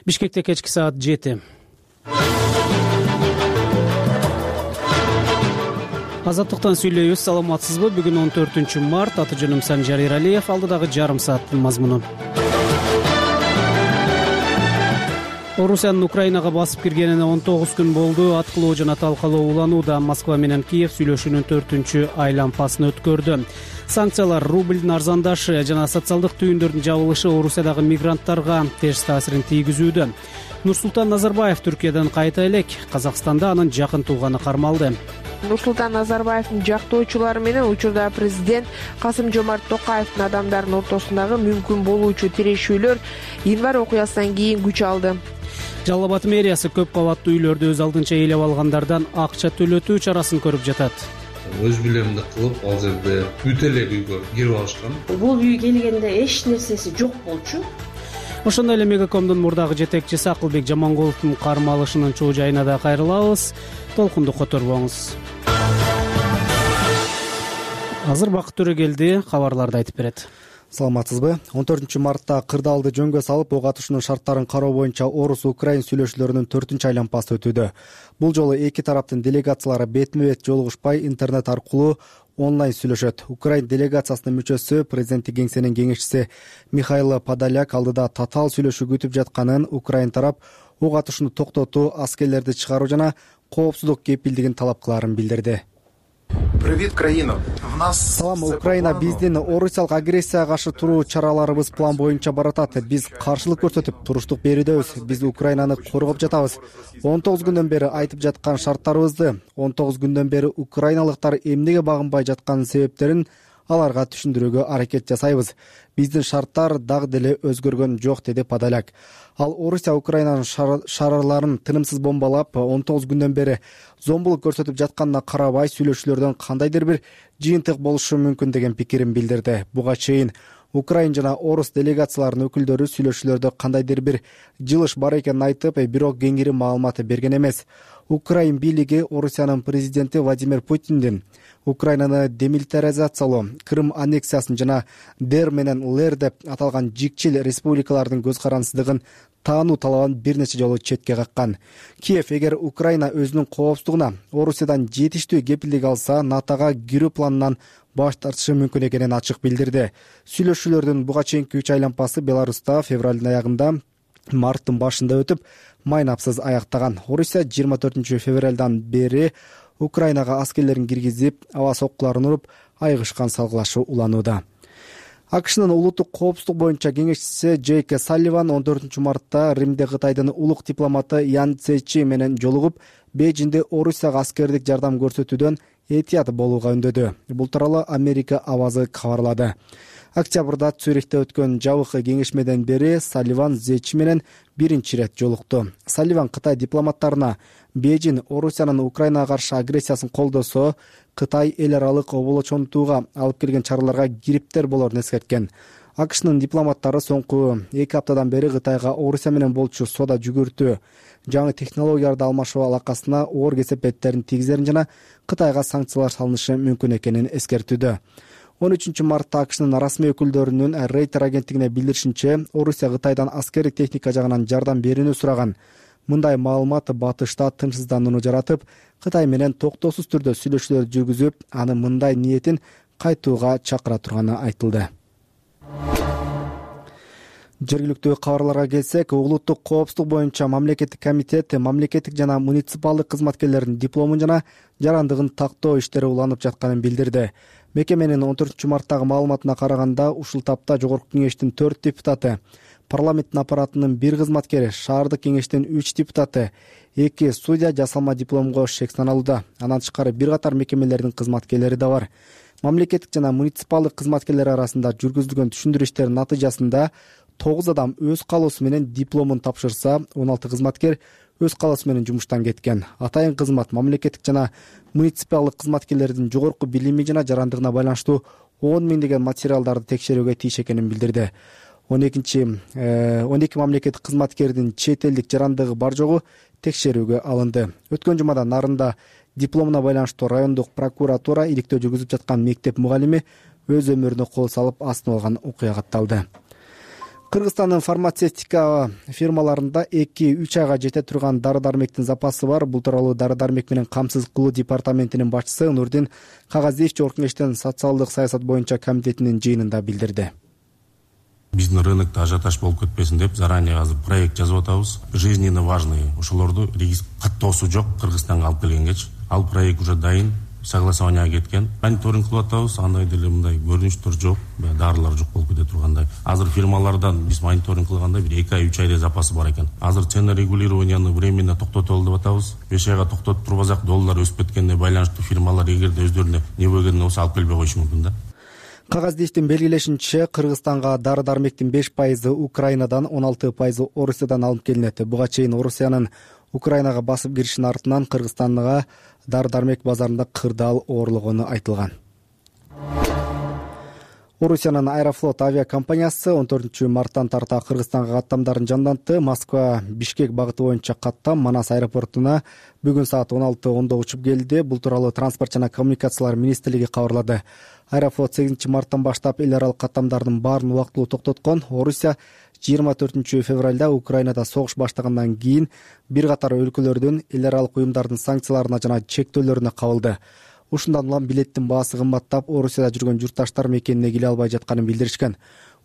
Бишкекте кечки саат 7. Азаттыктан сүйлөйбүз. Саламатсызбы? Бүгүн 14-март. Аты жөнүм Санжар Эралиев. Алдыдагы жарым сааттын мазмуну. Орусиянын Украинага басып киргенине 19 күн болду. Аткылоо жана талкалоо уланууда. Москва менен Киев сүйлөшүүнүн 4-чү айлампасын өткөрдү. Санкциялар, рублдун арзандашы жана социалдык түйүндөрдүн жабылышы Орусиядагы мигранттарга терс таасирин тийгизүүдө. Нурсултан Назарбаев Түркиядан кайта элек. Казакстанда анын жакын тууганы кармалды. Нурсултан Назарбаевдин жактоочулары менен учурда президент Касым-Жомарт Токаевдин адамдардын ортосундагы мүмкүн болуучу тирешүүлөр январь окуясынан кийин күч алды. Жалал Абад мэриясы көп кабаттуу үйлөрдү өз алдынча ээлеп алгандардан акча төлөтүү чарасын көрүп жатат. Өз билемди кылып, ал жерде бүт эле үйгө кирип алышкан. Бул үй келгенде эч нерсеси жок болчу. Ошондой эле Мегакомдун мурдагы жетекчиси Акылбек Жамангуловдун кармалышынын чоо жайына да кайрылабыз. Толкунду которбоңуз. Азыр Бакыт Төрөгелди кабарларды айтып берет. Саламатсызбы? 14-мартта кырдаалды жөнгө салып, ок атышуунун шарттарын кароо боюнча Орус-Украин сүйлөшүүлөрүнүн 4-чү айлампасы өтүүдө. Бул жолу эки тараптын делегациялары бетме-бет жолугушпай интернет аркылуу онлайн сүйлөшөт. Украин делегациясынын мүчөсү, президенттик кеңсенин кеңешчиси Михаил Подоляк алдыда татаал сүйлөшүү күтүп жатканын, Украин тарап ок атышууну токтотуу, аскерлерди чыгаруу жана коопсуздук кепилдигин талап кылаарын билдирди. Привет, Украина. Салам, Украина. Биздин орусиялык агрессияга каршы туруу чараларыбыз план боюнча баратат. Биз каршылык көрсөтүп, туруштук берүүдөбүз. Биз Украинаны коргоп жатабыз. 19 күндөн бери айтып жаткан шарттарыбызды, 19 күндөн бери украиналыктар эмнеге багынбай жатканын себептерин аларга түшүндүрүүгө аракет жасайбыз. Биздин шарттар дагы деле өзгөргөн жок, деди Подоляк. Ал Орусия Украинанын шаарларын тынымсыз бомбалап, 19 күндөн бери зомбулук көрсөтүп жатканына карабай, сүйлөшүүлөрдөн кандайдыр бир жыйынтык болушу мүмкүн деген пикирин билдирди. Буга чейин Украин жана Орус делегацияларынын өкүлдөрү сүйлөшүүлөрдө кандайдыр бир жылыш бар экенин айтып, бирок кеңири маалымат берген эмес. Украин бийлиги Орусиянын президенти Владимир Путиндин Украинаны демилитаризациялоо, Крым аннексиясын жана ДР менен ЛР деп аталган жикчил республикалардын көз карансыздыгын таануу талабын бир нече жолу четке каккан. Киев эгер Украина өзүнүн коопсуздугуна Орусиядан жетиштүү кепилдик алса, НАТОга кирүү планынан баш тартышы мүмкүн экенин ачык билдирди. Сүйлөшүүлөрдүн буга чейинки 3 айлампасы Беларуста февралдын аягында, марттын башында өтүп, майнапсыз аяктаган. Орусия 24 февралдан бери Украинага аскерлерин киргизип, аба соккуларын уруп, айгышкан салгылашуу уланууда. АКШнын улуттук коопсуздук боюнча кеңешчиси Джейк Салливан 14-мартта Римде Кытайдын улук дипломаты Ян Цзечи менен жолугуп, Бейжиңде Орусияга аскердик жардам көрсөтүүдөн этият болууга үндөдү. Бул тууралуу Америка авазы кабарлады. Октябрда Цюрихте өткөн жабык кеңешмеден бери Салливан Цзечи менен биринчи ирет жолукту. Салливан Кытай дипломаттарына Бейжиң Орусиянын Украинага каршы агрессиясын колдосо, Кытай эл аралык оболочонтууга алып келген чараларга кириптер болорун эскерткен. АКШнын дипломаттары соңку 2 аптадан бери Кытайга Орусия менен болчу соода жүгүртүү, жаңы технологияларды алмашуу алакасына оор кесепеттерин тийгизерин жана Кытайга санкциялар салынышы мүмкүн экенин эскертүүдө. 13-мартта АКШнын расмий өкүлдөрүнүн Рейтер агенттигине билдиришинче, Орусия Кытайдан аскердик техника жагынан жардам берүүнү сураган. Мындай маалымат батышта тынчсызданууну жаратып, Кытай менен токтоосуз түрдө сүйлөшүүлөр жүргүзүп, аны мындай ниетин кайтууга чакыра турганы айтылды. Жергиликтүү кабарларга келсек, улуттук коопсуздук боюнча мамлекеттик комитет мамлекеттик жана муниципалдык кызматкерлердин дипломун жана жарандыгын тактоо иштери уланып жатканын билдирди. Мекеменин 14-марттагы маалыматына караганда, ушул тапта Жогорку кеңештин 4 депутаты, парламенттин аппаратынын 1 кызматкери, шаардык кеңештин 3 депутаты, 2 судья жасалма дипломго шек саналууда. Андан тышкары бир катар мекемелердин кызматкерлери да бар. Мамлекеттик жана муниципалдык кызматкерлер арасында жүргүзүлгөн түшүндүрүү иштеринин натыйжасында 9 адам өз каалоосу менен дипломун тапшырса, 16 кызматкер өз каалоосу менен жумуштан кеткен. Атайын кызмат мамлекеттик жана муниципалдык кызматкерлердин жогорку билими жана жарандыгына байланыштуу 10 миңдеген материалдарды текшерүүгө тийиш экенин билдирди. 12 мамлекеттик кызматкердин чет элдик жарандыгы бар жогу текшерүүгө алынды. Өткөн жумада Нарында дипломуна байланыштуу райондук прокуратура иликтөө жүргүзүп жаткан мектеп мугалими өз өмүрүнө кол салып астын алган окуя катталды. Кыргызстандын фармацевтика фирмаларында 2-3 айга жете турган дары-дармектин запасы бар. Бул тууралуу дары-дармек менен камсыз кылуу департаментинин башчысы Нурдин Кагазиев Жогорку Кеңештин социалдык саясат боюнча комитетинин жыйынында билдирди. Биздин рынокто ажиотаж болуп кетпесин деп заранее азыр проект жазып атабыз. Жизненно важный ошолорду каттоосу жок Кыргызстанга алып келгенгечи. Ал проект уже дайын, согласованияга кеткен. Мониторинг кылып атабыз, андай деле мындай көрүнүштөр жок, дарылар жок болуп кете тургандай. Азыр фирмалардан биз мониторинг кылганда бир 2 ай 3 айда запасы бар экен. Азыр цена регулированияны временно токтотолу деп атабыз. 5 айга токтотуп турбасак, доллар өсүп кеткенине байланыштуу фирмалар эгерде өздөрүнө не болгон болсо алып келбей коюшу мүмкүн да. Кагазиевдин белгилешинче, Кыргызстанга дары-дармектин 5% Украинадан, 16% Орусиядан алынып келинет. Буга чейин Орусиянын Украинага басып киришинин артынан Кыргызстанга дары-дармек базарында кырдаал оорлогону айтылган. Орусиянын Аэрофлот авиакомпаниясы 14 марттан тарта Кыргызстанга каттамдарын жандантты. Москва Бишкек багыты боюнча каттам Манас аэропортуна бүгүн саат 16:10 учуп келди. Бул тууралуу Транспорт жана коммуникациялар министрлиги кабарлады. Аэрофлот 8 марттан баштап эл аралык каттамдардын баарын убактылуу токтоткон. Орусия 24 февралда Украинада согуш баштагандан кийин бир катар өлкөлөрдүн эл аралык уюмдардын санкцияларына жана чектөөлөрүнө кабылды. Ушундан улам билеттин баасы кымбаттап, Орусияда жүргөн журтташтар мекенине келе албай жатканын билдиришкен.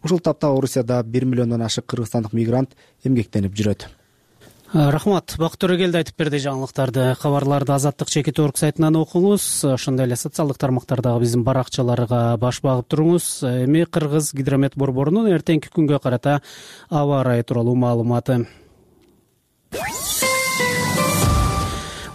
Ушул тапта Орусияда 1 миллиондон ашык кыргызстандык мигрант эмгектенип жүрөт. Рахмат. Бакыт Төрөгелди айтып берди жаңылыктарды. Кабарларды Азаттык чекит.org сайтынан окуңуз. Ошондой эле социалдык тармактардагы биздин баракчаларга баш багып туруңуз. Эми Кыргыз гидромет борборунун эртеңки күнгө карата аба ырайы тууралуу маалыматы.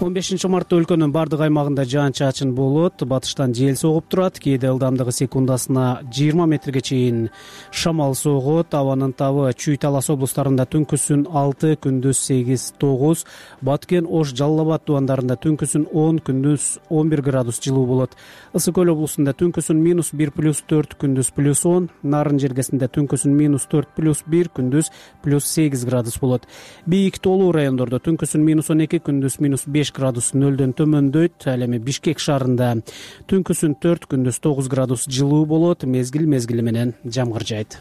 15 мартта өлкөнүн бардык аймагында жаан-чачын болот. Батыштан жел согуп турат. Кээде ылдамдыгы секундасына 20 метрге чейин шамал согот. Абанын табы Чүй, Талас облустарында түнкүсүн 6, күндүз 8-9, Баткен, Ош, Жалал Абад тубандарында түнкүсүн 10, күндүз 11 градус жылуу болот. Ысык Көл облусунда түнкүсүн -1+4, күндүз +10, Нарын жергесинде түнкүсүн -4+1, күндүз +8 градус болот. Бийик тоолуу райондордо түнкүсүн -12, күндүз -5 градус нөлдөн төмөндөйт. Ал эми Бишкек шаарында түнкүсүн 4, күндүз 9 градус жылуу болот. Мезгил менен жамгыр жайт.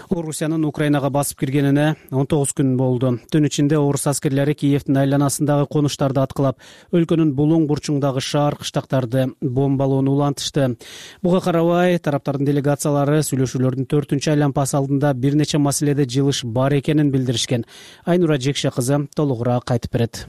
Орусиянын Украинага басып киргенине 19 күн болду. Түн ичинде орус аскерлери Киевдин айланасындагы конуштарды аткылап, өлкөнүн булуң бурчуңдагы шаар, кыштактарды бомбалоону улантышты. Буга карабай, тараптардын делегациялары сүйлөшүүлөрдүн 4-чү айланпасы алдында бир нече маселеде жылыш бар экенин билдиришкен. Айнура Жекше кызы толугураак айтып берет.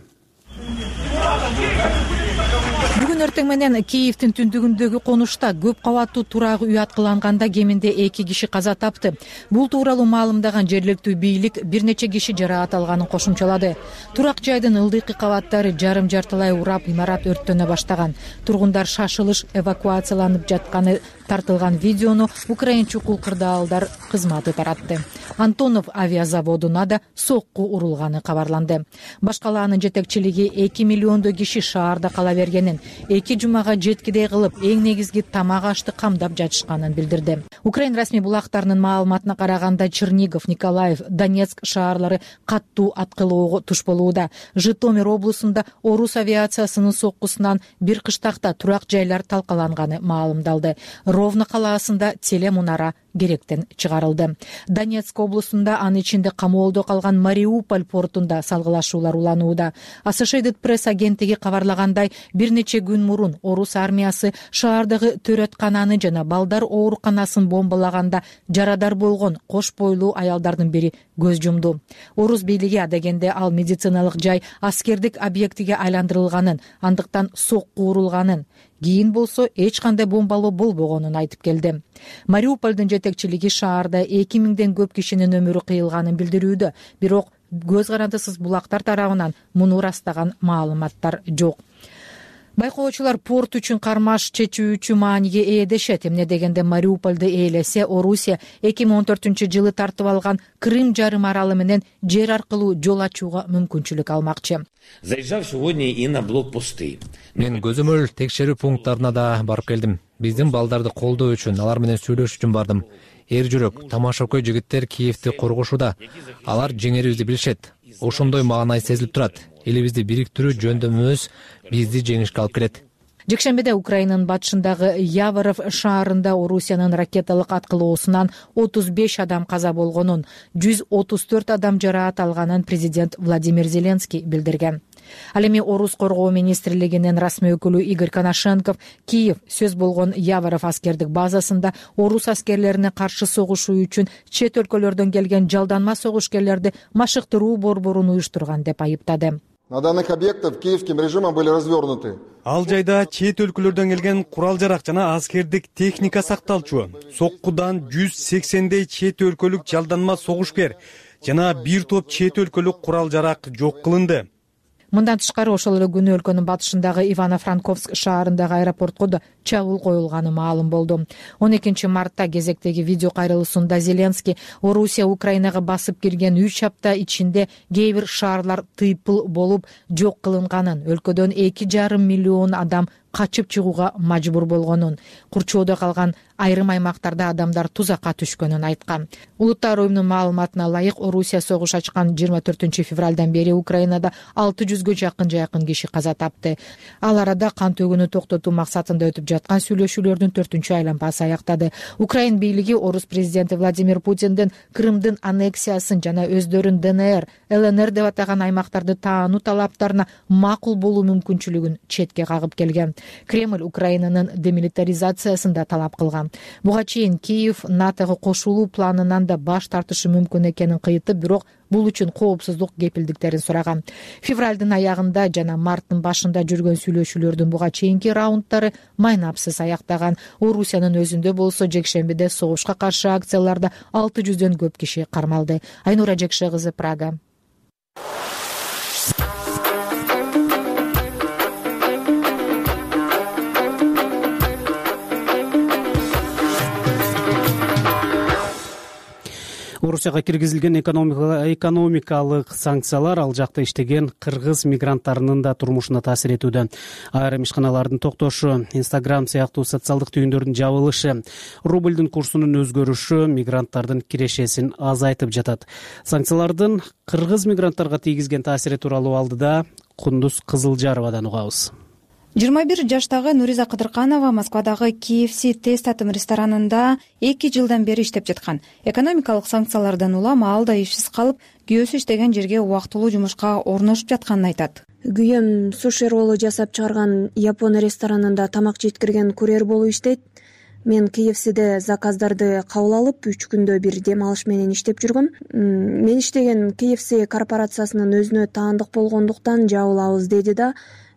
Бүгүн эртең менен Киевдин түндүгүндөгү конушта көп кабаттуу турак үй аткыланганда кеминде 2 киши каза тапты. Бул тууралуу маалымдаган жергиликтүү бийлик бир нече киши жараат алганын кошумчалады. Турак жайдын ылдыйкы кабаттары жарым-жартылай урап, имарат өрттөнө баштаган. Тургундар шашылыш эвакуацияланып жатканы тартылган видеону Украин чукул кырдаалдар кызматы таратты. Антонов авиазаводуна да сокку урулганы кабарланды. Башкалаанын жетекчилиги 2 миллиондой киши шаарда кала бергенин, 2 жумага жеткидей кылып, эң негизги тамак ашты камдап жатышканын билдирди. Украин расмий булактарынын маалыматына караганда, Чернигов, Николаев, Донецк шаарлары каттуу аткылоого туш болууда. Житомир облусунда орус авиациясынын соккусунан бир кыштакта турак жайлар талкаланганы маалымдалды. Ровно калаасында телемунара керектен чыгарылды. Донецк облусунда, анын ичинде камоолдо калган Мариуполь портунда салгылашуулар уланууда. Associated Press агенттиги кабарлагандай, бир нече күн мурун орус армиясы шаардагы төрөткананы жана балдар ооруканасын бомбалаганда жарадар болгон кош бойлуу аялдардын бири көз жумду. Орус бийлиги адегенде ал медициналык жай аскердик объектиге айландырылганын, андыктан сокку урулганын, кийин болсо эч кандай бомбалоо болбогонун айтып келди. Мариупольдун жетекчилиги шаарда 2000ден көп кишинин өмүрү кыйылганын билдирүүдө, бирок көз карандысыз булактар тарабынан муну ырастаган маалыматтар жок. Байкоочулар порт үчүн кармаш чечүүчү мааниге ээ дешет. Эмне дегенде Мариупольду ээлесе, Орусия 2014-жылы тартып алган Крым жарым аралы менен жер аркылуу жол ачууга мүмкүнчүлүк алмакчы. Заезжал сегодня и на блокпосты. Мен көзөмөл текшерүү пункттарына да барып келдим. Биздин балдарды колдоо үчүн, алар менен сүйлөшүү үчүн бардым. Эр жүрөк, тамашакөй жигиттер Киевди коргошууда. Алар жеңерибизди билишет. Ошондой маанай сезилип турат. Элибизди бириктирүү жөндөмүбүз бизди жеңишке алып келет. Жекшембиде Украинанын батышындагы Яворов шаарында Орусиянын ракеталык аткылоосунан 35 адам каза болгонун, 134 адам жараат алганын президент Владимир Зеленский билдирген. Ал эми Орус коргоо министрлигинин расмий өкүлү Игорь Коношенков Киев сөз болгон Яворов аскердик базасында орус аскерлерине каршы согушуу үчүн чет өлкөлөрдөн келген жалданма согушкерлерди машыктыруу борборун уюштурган деп айыптады. На данных объектах киевским режимом были развернуты. Ал жайда чет өлкөлөрдөн келген курал-жарак жана аскердик техника сакталчу. Соккудан 180дей чет өлкөлүк жалданма согушкер жана бир топ чет өлкөлүк курал-жарак жок кылынды. Мындан тышкары ошол эле күнү өлкөнүн батышындагы Ивано-Франковск шаарындагы аэропортко да чабуул коюлганы маалым болду. 12 мартта кезектеги видео кайрылуусунда Зеленский Орусия Украинага басып кирген 3 апта ичинде кээ бир шаарлар тыйпыл болуп жок кылынганын, өлкөдөн 2,5 миллион адам качып чыгууга мажбур болгонун, курчоодо калган айрым аймактарда адамдар тузакка түшкөнүн айткан. Улуттар уюмунун маалыматына ылайык, Орусия согуш ачкан 24 февралдан бери Украинада 600гө жакын киши каза тапты. Ал арада кан төгүүнү токтотуу максатында өтүп жаткан сүйлөшүүлөрдүн 4-чү айланпасы аяктады. Украин бийлиги Орус президенти Владимир Путиндин Крымдын аннексиясын жана өздөрүн ДНР, ЛНР деп атаган аймактарды таануу талаптарына макул болуу мүмкүнчүлүгүн четке кагып келген. Кремль Украинанын демилитаризациясын да талап кылган. Буга чейин Киев НАТОго кошулуу планынан да баш тартышы мүмкүн экенин кыйытып, бирок бул үчүн коопсуздук кепилдиктерин сураган. Февралдын аягында жана марттын башында жүргөн сүйлөшүүлөрдүн буга чейинки раунддары майнапсыз аяктаган. Орусиянын өзүндө болсо жекшембиде согушка каршы акцияларда 600дөн көп киши кармалды. Айнура Жекше кызы, Прага. Орусияга киргизилген экономикалык санкциялар ал жакта иштеген кыргыз мигранттарынын да турмушуна таасир этүүдө. Айрым ишканалардын токтошу, Instagram сыяктуу социалдык түйүндөрдүн жабылышы, рубльдин курсунун өзгөрүшү мигранттардын кирешесин азайтып жатат. Санкциялардын кыргыз мигранттарга тийгизген таасири тууралуу алдыда Кундуз Кызылжаровадан угабыз. 21 жаштагы Нуриза Кыдырканова Москвадагы KFC тест татым ресторанында 2 жылдан бери иштеп жаткан. Экономикалык санкциялардан улам ал да ишсиз калып, күйөөсү иштеген жерге убактылуу жумушка орношуп жатканын айтат. Күйөөм суши роллу жасап чыгарган япон ресторанында тамак жеткирген курьер болуп иштейт. Мен KFC'де заказдарды кабыл алып, 3 күндө бир дем алыш менен иштеп жүргөм. Мен иштеген KFC корпорациясынын өзүнө таандык болгондуктан жабылабыз деди да,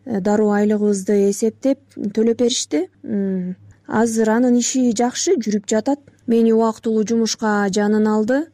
дароо айлыгыбызды эсептеп төлөп беришти. Азыр анын иши жакшы жүрүп жатат. Мени убактылуу жумушка жанын алды.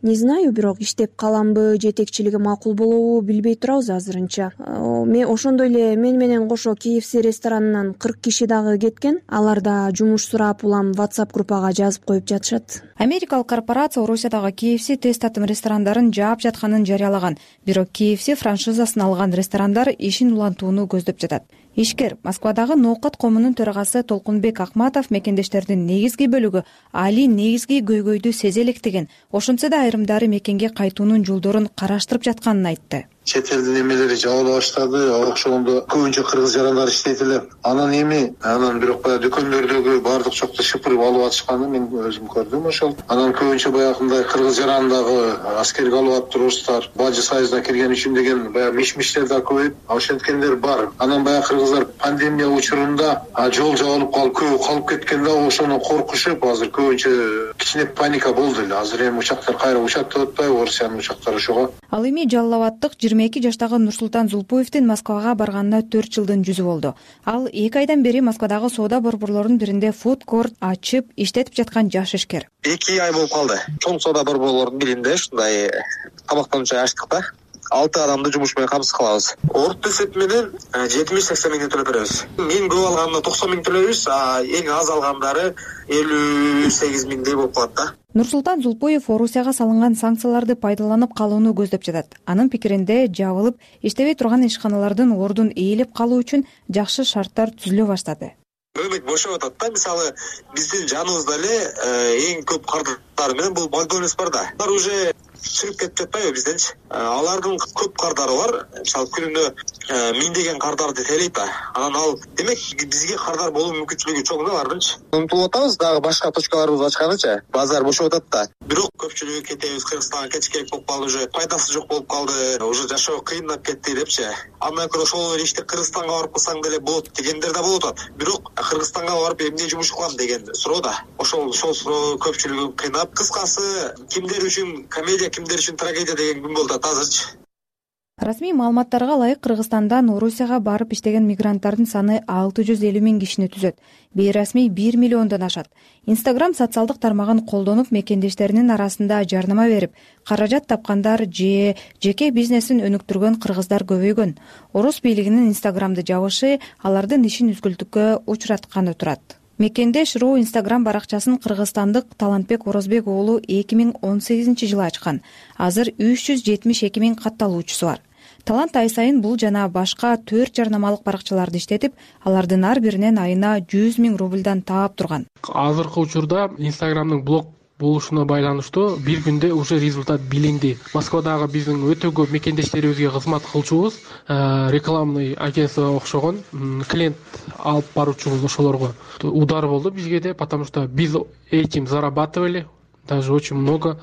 Не знаю, бирок иштеп каламбы, жетекчилиги макул болобу билбей турабыз азырынча. Ошондой эле мен менен кошо KFC ресторанынан 40 киши дагы кеткен. Алар да жумуш сурап улам WhatsApp группага жазып коюп жатышат. Америкалык корпорация Орусиядагы KFC тест татым ресторандарын жаап жатканын жарыялаган. Бирок KFC франшизасын алган ресторандар ишин улантууну көздөп жатат. Ишкер Москвадагы Ноокат коомунун төрагасы Толкунбек Акматов мекендештердин негизги бөлүгү али негизги көйгөйдү сезе электеген. Ошентсе да айрымдары мекенге кайтуунун жолдорун караштырып жатканын айтты. Чет элдин эмелери жабыла баштады, ошондо көбүнчө кыргыз жарандар иштейт эле. Анан бирок баягы дүкөндөрдөгү баардык чокто шыпырып алып атышканын мен өзүм көрдүм ошол. Анан көбүнчө баягындай кыргыз жаранындагы аскерге алып атып туруштар, бажы сайызына кирген үчүн деген баягы миш-миштер да көбөйүп, ошенткендер бар. Анан баягы кыргыздар пандемия учурунда жол жабылып калып, көбү калып кеткен да, ошону коркушуп, азыр көбүнчө кичине паника болду эле. Азыр эми учактар кайра учаттап атпайбы, Орусиянын учактары ошого. Ал эми Жалал Абадтык 22 жаштагы Нурсултан Зулпуевдин Москвага барганына 4 жылдын жүзү болду. Ал 2 айдан бери Москвадагы соода борборлорунун биринде фуд-корт ачып иштетип жаткан жаш ишкер. 2 ай болуп калды. Чоң соода борборлорунун биринде ушундай тамактануучу ачтык да. 6 адамды жумуш менен камсыз кылабыз. Орто эсеп менен 70-80 миң төлөп беребиз. Эң көп алганда 90 миң төлөйбүз, эң аз алгандары 58 миңдей болуп калат да. Нурсултан Зулпуев Орусияга салынган санкцияларды пайдаланып калууну көздөп жатат. Анын пикиринде жабылып, иштебей турган ишканалардын ордун ээлеп калуу үчүн жакшы шарттар түзүлө баштады. Рынок бошоп атат да. Мисалы, биздин жаныбызда эле эң көп кардары менен бул Макдональдс бар да. Алар уже чыгып кетип жатпайбы бизденчи? Алардын көп кардары бар. Мисалы, күнүнө миңдеген кардарды тейлейт да. Анан ал демек бизге кардар болуу мүмкүнчүлүгү чоң да алардынчы. Умтулуп атабыз дагы башка точкаларыбызды ачканычы. Базар бошоп атат да. Бирок көпчүлүгү кетебиз Кыргызстанга кетиш болуп калды, уже пайдасы жок болуп калды, уже жашоо кыйындап кетти депчи. Андан көрө ошол ишти Кыргызстанга барып кылсаң деле болот дегендер да болуп атат. Бирок Кыргызстанга барып эмне жумуш кылам деген суроо да. Ошол суроо көпчүлүгүн кыйнап. Кыскасы кимдер үчүн комедия, кимдер үчүн трагедия деген күн болуп атат азырчы. Расмий маалыматтарга ылайык Кыргызстандан Орусияга барып иштеген мигранттардын саны 650 000 кишини түзөт. Бейрасмий 1 миллиондон ашат. Instagram социалдык тармагын колдонуп мекендештеринин арасында жарнама берип, каражат тапкандар же жеке бизнесин өнүктүргөн кыргыздар көбөйгөн. Орус бийлигинин Instagramды жабышы алардын ишин үзгүлтүккө учуратканы турат. Мекендеш.ру Instagram баракчасын кыргызстандык Талантбек Орозбек уулу 2018-жылы ачкан. Азыр 372 000 катталуучусу бар. Талант ай сайын бул жана башка 4 жарнамалык баракчаларды иштетип, алардын ар биринен айына 100 000 рубльдан таап турган. Азыркы учурда Instagramдын блог болушуна байланыштуу бир күндө уже результат билинди. Москвадагы биздин өтө көп мекендештерибизге кызмат кылчубуз, рекламный агентство окшогон клиент алып баруучубуз, ошолорго удар болду бизге де, потому что биз этим зарабатывали, даже очень много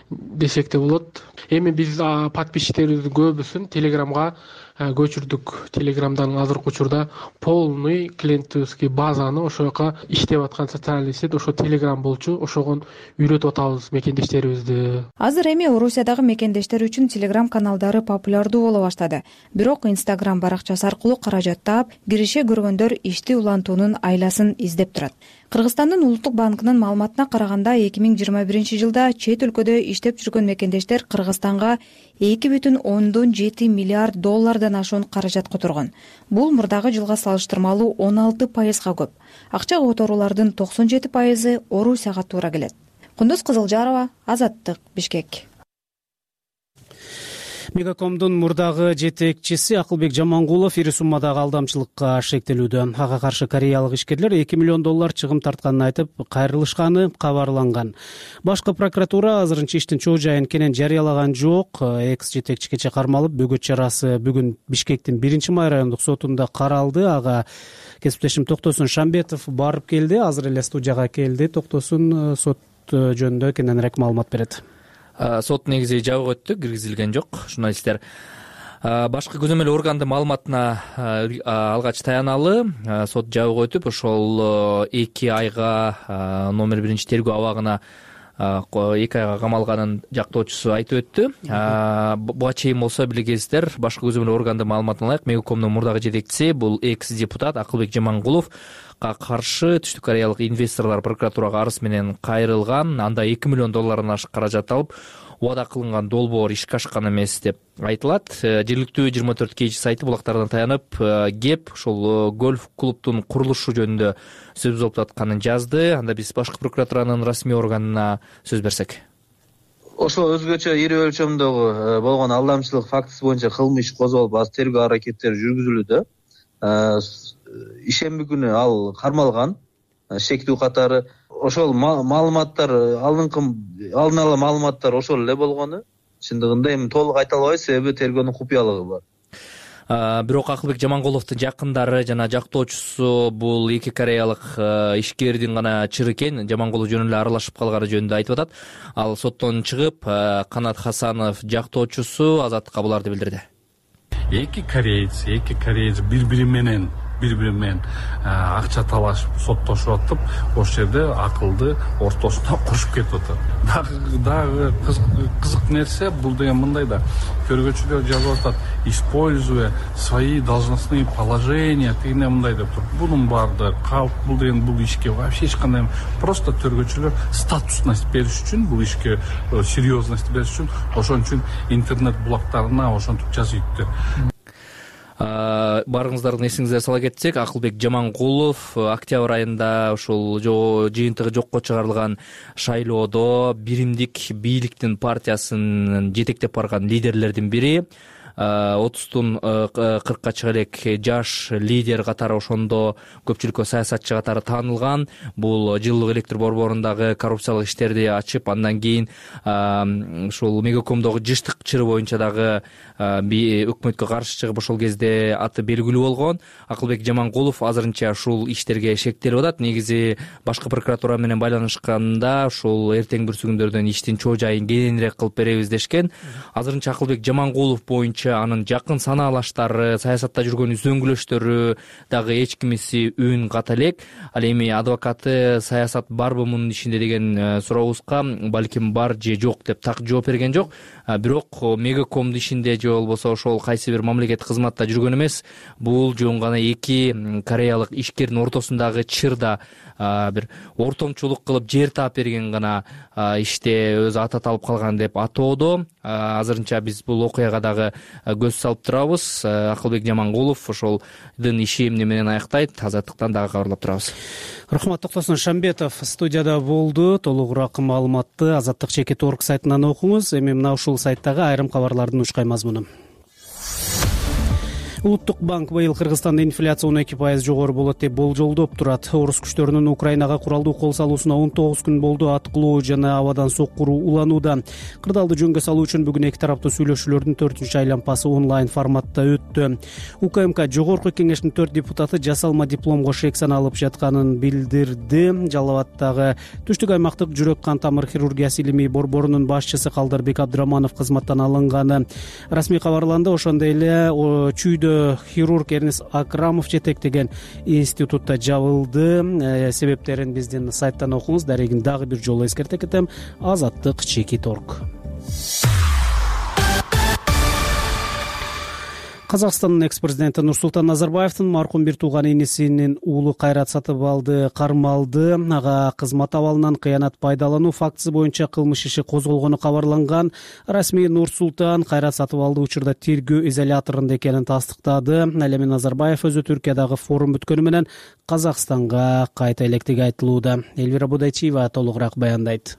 десек де болот. Эми биз подписчиктерибиздин көбүсүн Телеграмга көчүрдүк. Телеграмдан азыркы учурда полный клиентский базаны ошол жака иштеп аткан социальный сеть ошо Телеграм болчу, ошого үйрөтүп атабыз мекендештерибизди. Азыр эми Орусиядагы мекендештер үчүн Телеграм каналдары популярдуу боло баштады. Бирок Instagram баракчасы аркылуу каражат таап, кирише көргөндөр ишти улантуунун айласын издеп турат. Кыргызстандын Улуттук банкынын маалыматына караганда 2021-жылда чет өлкөдө иштеп жүргөн мекендештер Кыргызстанга 2,7 миллиард доллардан ашуун каражат которгон. Бул мурдагы жылга салыштырмалуу 16%га көп. Акча которуулардын 97% Орусияга туура келет. Кундуз Кызылжарова, Азаттык, Бишкек. Мегакомдун мурдагы жетекчиси Акылбек Жамангулов ири суммадагы алдамчылыкка шектелүүдө. Ага каршы кореялык ишкерлер 2 миллион доллар чыгым тартканын айтып, кайрылышканы кабарланган. Башкы прокуратура азырынча иштин чоо жайын кенен жарыялаган жок. Экс жетекчи кече кармалып, бөгөт чарасы бүгүн Бишкектин 1-май райондук сотунда каралды. Ага кесиптешим Токтосун Шамбетов барып келди. Азыр эле студияга келди. Токтосун сот жөнүндө кененирээк маалымат берет. Сот негизи жабык өттү, киргизилген жок. Журналисттер башкы көзөмөл органдын маалыматына алгач таяналы, сот жабык өтүп, ошол 2 айга номер 1-тергөө абагына 2 айга камалганын жактоочусу айтып өттү. Буга чейин болсо билгесиздер, башкы көзөмөл органдын маалыматына ылайык Мегакомдун мурдагы жетекчиси, бул экс депутат Акылбек Жамангулов каршы түштүк кореялык инвесторлор прокуратурага арыз менен кайрылган, анда 2 миллион доллардан ашык каражат алып, убада кылынган долбоор ишке ашкан эмес деп айтылат. Жергиликтүү 24 KG сайты булактардан таянып, кеп ошол гольф клубтун курулушу жөнүндө сөз болуп атканын жазды. Анда биз башкы прокуратуранын расмий органына сөз берсек. Ошол өзгөчө ири өлчөмдөгү болгон алдамчылык фактысы боюнча кылмыш иш козголуп, азыр тергөө аракеттери жүргүзүлүүдө. Ишемби күнү ал кармалган, шектүү катары ошол маалыматтар алдын ала маалыматтар ошол эле болгону. Чындыгында эми толук айта албайбыз, себеби тергөөнүн купуялыгы бар. Бирок Акылбек Жамангуловдун жакындары жана жактоочусу бул 2 кореялык ишкердин гана чыры экен, Жамангулов жөн эле аралашып калганы жөнүндө айтып атат. Ал соттон чыгып, Канат Хасанов жактоочусу Азаттыкка буларды билдирди. Эки кореец бири-бири менен акча талашып, соттошуп атып, ошол жерде акылды ортосуна кошуп кетип атат. Дагы кызык нерсе бул деген мындай да, көргөчүлөр жазып атат, используя свои должностные положения, тигине мындай деп туруп. Бунун баардыгы калп, бул деген бул ишке вообще эч кандай, просто көргөчүлөр статусность бериш үчүн, бул ишке серьезность бериш үчүн, ошон үчүн интернет блоктарына ошентип жазыптыр. Барыңыздардын эсиңизге сала кетсек, Акылбек Жамангулов октябрь айында ошол жыйынтыгы жокко чыгарылган шайлоодо биримдик бийликтин партиясын жетектеп барган лидерлердин бири. 30тун 40ка чыга элек жаш лидер катары, ошондо көпчүлүккө саясатчы катары таанылган. Бул жылуулук электр борборундагы коррупциялык иштерди ачып, андан кийин ушул Мегакомдогу жыштык чыры боюнча дагы өкмөткө каршы чыгып, ошол кезде аты белгилүү болгон. Акылбек Жаманкулов азырынча ушул иштерге шектелип атат. Негизи башкы прокуратура менен байланышканда ушул эртең бүрсүгүндөрдөн иштин чоо жайын кененирээк кылып беребиз дешкен. Азырынча Акылбек Жаманкулов боюнча анын жакын санаалаштары, саясатта жүргөн үзөңгүлөштөрү дагы эч кимиси үн ката элек. Ал эми адвокаты саясат барбы мунун ишинде деген сурообузга балким бар же жок деп так жооп берген жок. Бирок Мегакомдун ишинде же болбосо ошол кайсы бир мамлекеттик кызматта жүргөн эмес. Бул жөн гана эки кореялык ишкердин ортосундагы чырда бир ортомчулук кылып жер таап берген гана иште өзү ата алып калган деп атоодо. Азырынча биз бул окуяга дагы көз салып турабыз. Акылбек Жаманкулов ошолдун иши эмне менен аяктайт, Азаттыктан дагы кабарлап турабыз. Рахмат. Токтосун Шамбетов студияда болду. Толугураак маалыматты Азаттык /org сайтынан окуңуз. Эми мына ушул сайттагы айрым кабарлардын ушкай мазмуну. Улуттук банк быйыл Кыргызстанда инфляция 12% жогору болот деп болжолдоп турат. Орус күчтөрүнүн Украинага куралдуу кол салуусуна 19 күн болду. Аткылоо жана абадан соккуруу уланууда. Кырдаалды жөнгө салуу үчүн бүгүн эки тараптуу сүйлөшүүлөрдүн 4-чү айланпасы онлайн форматта өттү. УКМК жогорку кеңештин 4 депутаты жасалма дипломго шек саналып жатканын билдирди. Жалал Абаддагы түштүк аймактык жүрөк кан тамыр хирургиясы илимий борборунун башчысы Калдарбек Абдыраманов кызматтан алынганы расмий кабарланды. Ошондой эле чүйдө хирург Эрнис Акрамов жетектеген институтта жабылды. Себептерин биздин сайттан окуңуз. Дарегин дагы бир жолу эскерте кетем. Азаттык /org. Казакстандын экс-президенти Нурсултан Назарбаевдин маркум бир тууган инисинин уулу Кайрат Сатыбалды кармалды. Ага кызмат абалынан кыянат пайдалануу фактысы боюнча кылмыш иши козголгону кабарланган. Расмий Нурсултан Кайрат Сатыбалды учурда тергөө изоляторунда экенин тастыктады. Ал эми Назарбаев өзү Түркиядагы форум бүткөнү менен Казакстанга кайта электиги айтылууда. Элвира Будайчиева толугураак баяндайт.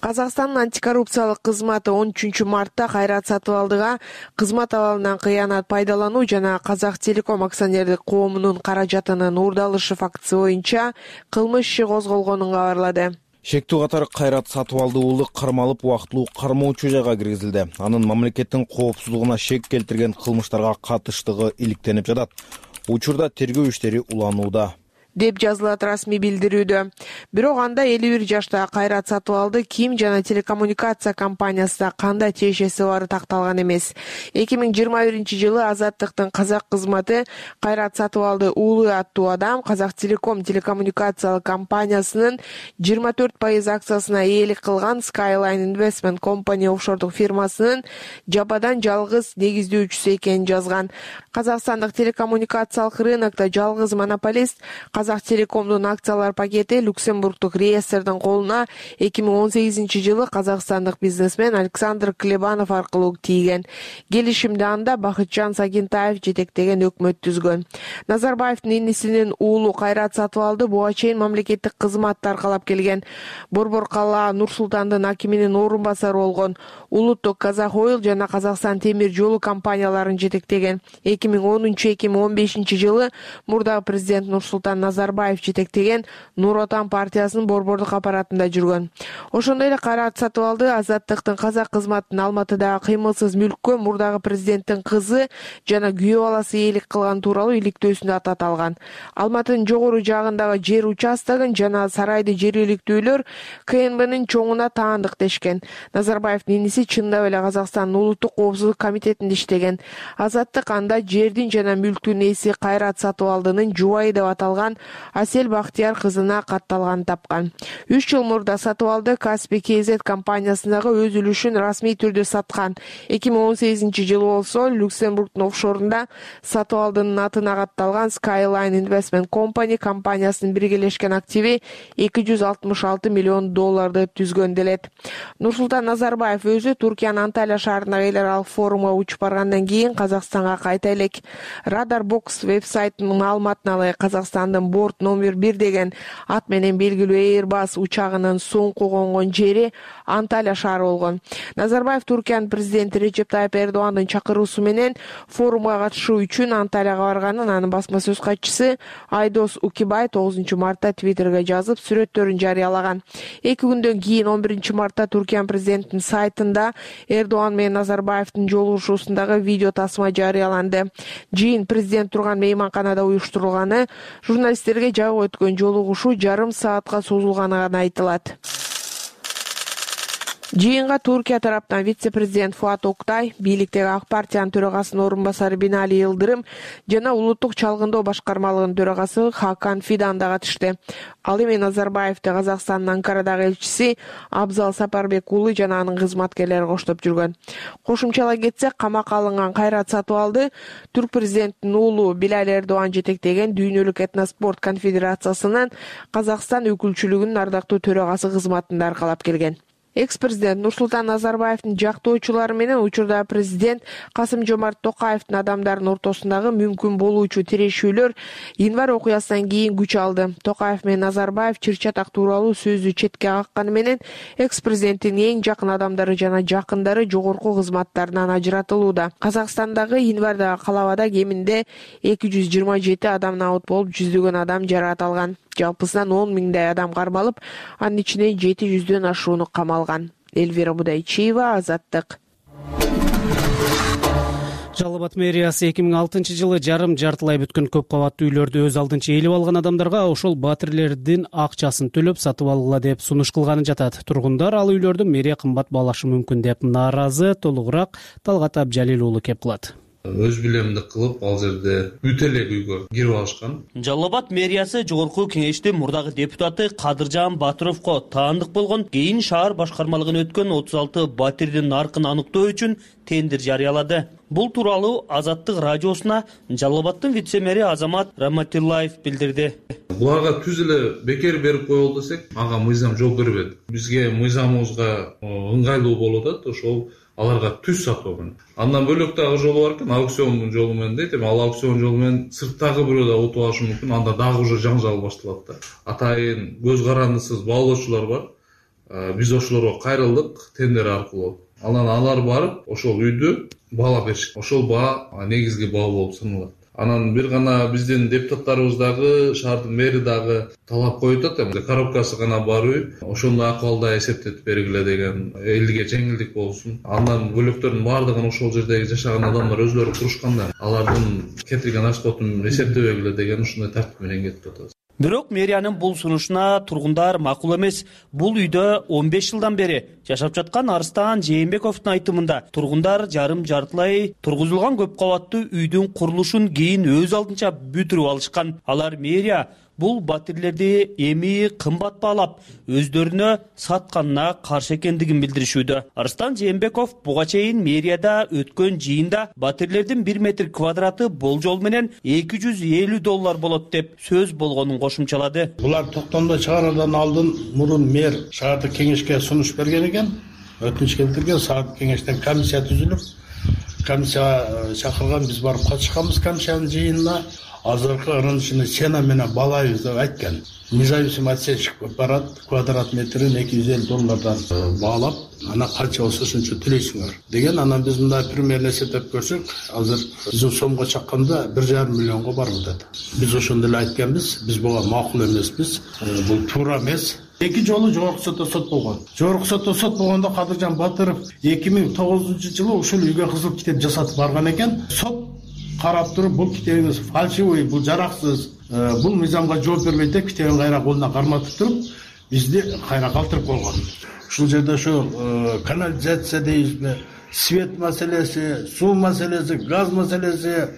Казакстандын антикоррупциялык кызматы 13 мартта Кайрат Сатыбалдыга кызмат абалынан кыянат пайдалануу жана Казак Телеком акционердик коомунун каражатынын уурдалышы фактысы боюнча кылмыш иши козголгонун кабарлады. Шектүү катары Кайрат Сатыбалды уулу кармалып убактылуу кармоочу жайга киргизилди. Анын мамлекеттин коопсуздугуна шек келтирген кылмыштарга катыштыгы иликтенип жатат. Учурда тергөө иштери уланууда деп жазылат расмий билдирүүдө. Бирок анда 51 жаштагы Кайрат Сатыбалды ким жана телекоммуникация компаниясында кандай тиешеси бары такталган эмес. 2021-жылы Азаттыктын казак кызматы Кайрат Сатыбалды уулу аттуу адам Казак Телеком телекоммуникациялык компаниясынын 24% акциясына ээлик кылган Skyline Investment Company офшордук фирмасынын жападан жалгыз негиздөөчүсү экенин жазган. Казакстандык телекоммуникациялык рынокто жалгыз монополист Казак Телекомдун акциялар пакети Люксембургдук реестрдин колуна 2018-жылы казакстандык бизнесмен Александр Клебанов аркылуу тийген. Келишимди анда Бакытжан Сагентаев жетектеген өкмөт түзгөн. Назарбаевдин инисинин уулу Кайрат Сатыбалды буга чейин мамлекеттик кызматты аркалап келген. Борбор калаа Нур-Султандын акиминин орун басары болгон. Улуттук Казак Ойл жана Казакстан темир жолу компанияларын жетектеген. 2010-2015-жылы мурдагы президент Нурсултан Назарбаев жетектеген Нур Отан партиясынын борбордук аппаратында жүргөн. Ошондой эле Кайрат Сатыбалды Азаттыктын казак кызматынын Алматыдагы кыймылсыз мүлккө мурдагы президенттин кызы жана күйөө баласы ээлик кылган тууралуу иликтөөсүндө атат алган. Алматынын жогору жагындагы жер участогун жана сарайды жергиликтүүлөр КНБнын чоңуна таандык дешкен. Назарбаевдин иниси чындап эле Казакстандын улуттук коопсуздук комитетинде иштеген. Азаттык анда жердин жана мүлктүн ээси Кайрат Сатыбалдынын жубайы деп аталган Асел Бактияр кызына катталганын тапкан. 3 жыл мурда Сатыбалды Каспий КЗ компаниясындагы өз үлүшүн расмий түрдө саткан. 2018-жылы болсо Люксембургдун офшорунда Сатыбалдынын атына катталган Skyline Investment Company компаниясынын биргелешкен активи $266 миллион деп түзгөн делет. Нурсултан Назарбаев өзү Туркиянын Анталия шаарындагы эл аралык форумга учуп баргандан кийин Казакстанга кайта элек. Radarbox веб-сайтынын маалыматына ылайык Казакстандын борт номер 1 деген ат менен белгилүү Airbus учагынын соңку конгон жери Анталия шаары болгон. Назарбаев Туркиянын президенти Режеп Тайип Эрдогандын чакыруусу менен форумга катышуу үчүн Анталияга барганын анын басма сөз катчысы Айдос Укибай 9 мартта Твиттерге жазып, сүрөттөрүн жарыялаган. 2 күндөн кийин 11 мартта Туркиянын президентинин сайтында Эрдоган менен Назарбаевдин жолугушуусундагы видео тасма жарыяланды. Жыйын президент турган мейманканада уюштурулганы, журналисттерге жабык өткөн жолугушуу жарым саатка созулганы гана айтылат. Жыйынга Туркия тараптан вице-президент Фуат Октай, бийликтеги ак партиянын төрагасынын орун басары Бинали Йылдырым жана улуттук чалгындоо башкармалыгынын төрагасы Хакан Фидан да катышты. Ал эми Назарбаевди Казакстандын Анкарадагы элчиси Абзал Сапарбек уулу жана анын кызматкерлери коштоп жүргөн. Кошумчалай кетсек, камакка алынган Кайрат Сатыбалды түрк президентинин уулу Билал Эрдоган жетектеген Дүйнөлүк этноспорт конфедерациясынын Казакстан өкүлчүлүгүнүн ардактуу төрагасы кызматында аркалап келген. Экс-президент Нурсултан Назарбаевдин жактоочулары менен учурда президент Касым-Жомарт Токаевдин адамдардын ортосундагы мүмкүн болуучу тирешүүлөр январь окуясынан кийин күч алды. Токаев менен Назарбаев чыр-чатак тууралуу сөздү четке какканы менен экс-президенттин эң жакын адамдары жана жакындары жогорку кызматтарынан ажыратылууда. Казакстандагы январдагы калабада кеминде 227 адам набыт болуп, жүздөгөн адам жаракат алган. Жалпысынан 10 миңдей адам кармалып, анын ичинен 700дөн ашууну камалган. Эльвира Будайчиева, Азаттык. Жалал Абад мэриясы 2006 жылы жартылай бүткөн көп кабаттуу үйлөрдү өз алдынча ээлеп алган адамдарга ошол батирлердин акчасын төлөп сатып алгыла деп сунуш кылганы жатат. Тургундар ал үйлөрдү мэрия кымбат баалашы мүмкүн деп нааразы. Толугураак Талгат Абжалил уулу кеп кылат. Өз билемдик кылып, ал жерде бүт эле үйгө кирип алышкан. Жалал Абад мэриясы жогорку кеңештин мурдагы депутаты Кадыржан Батыровго таандык болгон, кийин шаар башкармалыгына өткөн 36 батирдин наркын аныктоо үчүн тендер жарыялады. Бул тууралуу Азаттык радиосуна Жалал Абадтын вице-мэри Азамат Раматиллаев билдирди. Буларга түз эле бекер берип коелу десек, ага мыйзам жол бербейт. Бизге мыйзамыбызга ыңгайлуу болуп атат, ошол аларга түз сатуу. Андан бөлөк дагы жолу бар экен, аукцион жолу менен дейт. Эми ал аукцион жолу менен сырттагы бирөө да утуп алышы мүмкүн. Анда дагы уже жаңжал башталат да. Атайын көз карандысыз баалоочулар бар. Биз ошолорго кайрылдык тендер аркылуу. Анан алар барып, ошол үйдү баалап беришет. Ошол баа негизги баа болуп саналат. Анан бир гана биздин депутаттарыбыз дагы, шаардын мэри дагы талап коюп атат. Коробкасы гана бар үй, ошондой акыбалда эсептетип бергиле деген, элге жеңилдик болсун. Андан бөлөктөрдүн баардыгын ошол жердеги жашаган адамдар өзлөрү турушканда, алардын кетирген расходун эсептебегиле деген ушундай тартип менен кетип атат. Бирок мэриянын бул сунушуна тургундар макул эмес. Бул үйдө 15 жылдан бери жашап жаткан Арыстан Жээнбековдун айтымында тургундар жартылай тургузулган көп кабаттуу үйдүн курулушун кийин өз алдынча бүтүрүп алышкан. Алар мэрия бул батирлерди эми кымбат баалап, өздөрүнө сатканына каршы экендигин билдиришүүдө. Арыстан Жээнбеков буга чейин мэрияда өткөн жыйында батирлердин 1 метр квадраты болжол менен $250 болот деп сөз болгонун кошумчалады. Булар токтомдо чыгаруудан алдын мурун мэр шаардык кеңешке сунуш берген экен, өтүнүч келтирген. Шаардык кеңештен комиссия түзүлүп, комиссия чакырган, биз барып катышканбыз комиссиянын жыйынына. Азыркы ырынышыны сена менен балайбыз деп айткан. Независимый отсечка барат, квадрат метрин $250 баалап, ана канча болсо ошончо төлөйсүңөр деген. Анан биз мындай примерно эсептеп көрсөк, азыр биздин сомго чакканда 1,5 миллионго барып атат. Биз ошондой эле айтканбыз, биз буга макул эмеспиз, бул туура эмес. 2 жолу жогорку сотто сот болгон. Жогорку сотто сот болгондо Кадыржан Батыров 2009-жылы ушул үйгө кызыл китеп жасатып барган экен. Сот карап туруп, бул китебиңиз фальшивый, бул жараксыз, бул мыйзамга жооп бербейт деп китебин кайра колуна карматып туруп, бизди кайра калтырып койгон. Ушул жерде ошо канализация дейбизби, свет маселеси, суу маселеси, газ маселеси,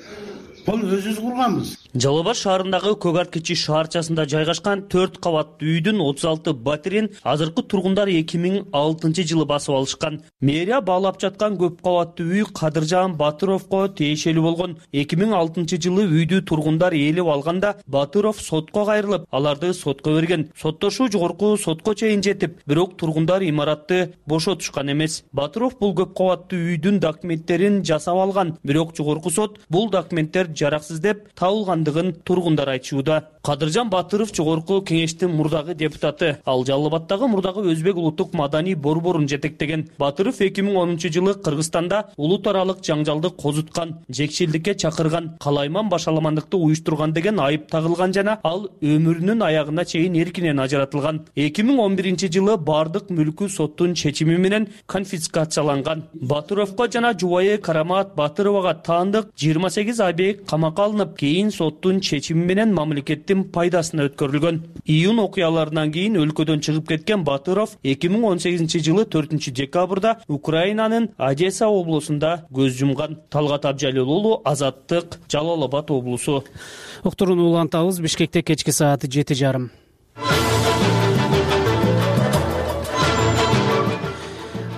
бул өзүбүз курганбыз. Жалал Абад шаарындагы Көк Арт кичи шаарчасында жайгашкан 4 кабаттуу үйдүн 36 батирин азыркы тургундар 2006-жылы басып алышкан. Мэрия баалап жаткан көп кабаттуу үй Кадыржан Батыровго тиешелүү болгон. 2006-жылы үйдү тургундар ээлеп алганда Батыров сотко кайрылып, аларды сотко берген. Соттошуу жогорку сотко чейин жетип, бирок тургундар имаратты бошотушкан эмес. Батыров бул көп кабаттуу үйдүн документтерин жасап алган, бирок жогорку сот бул документтер жараксыз деп табылгандыгын тургундар айтышууда. Кадыржан Батыров Жогорку Кеңештин мурдагы депутаты. Ал Жалал Абаддагы мурдагы Өзбек улуттук маданий борборун жетектеген. Батыров 2010-жылы Кыргызстанда улут аралык жаңжалды козуткан, жекчилдикке чакырган, калайман башаламандыкты уюштурган деген айып тагылган жана ал өмүрүнүн аягына чейин эркинен ажыратылган. 2011-жылы бардык мүлкү соттун чечими менен конфискацияланган. Батыровго жана жубайы Карамат Батыровага таандык 28 ай камакка алынып, кийин соттун чечими менен мамлекеттин пайдасына өткөрүлгөн. Июнь окуяларынан кийин өлкөдөн чыгып кеткен Батыров 2018-жылы 4-декабрда Украинанын Одесса облусунда көз жумган. Талгат Абжалил уулу, Азаттык, Жалал Абад облусу. Уктурууну улантабыз. Бишкекте кечки сааты 7:30.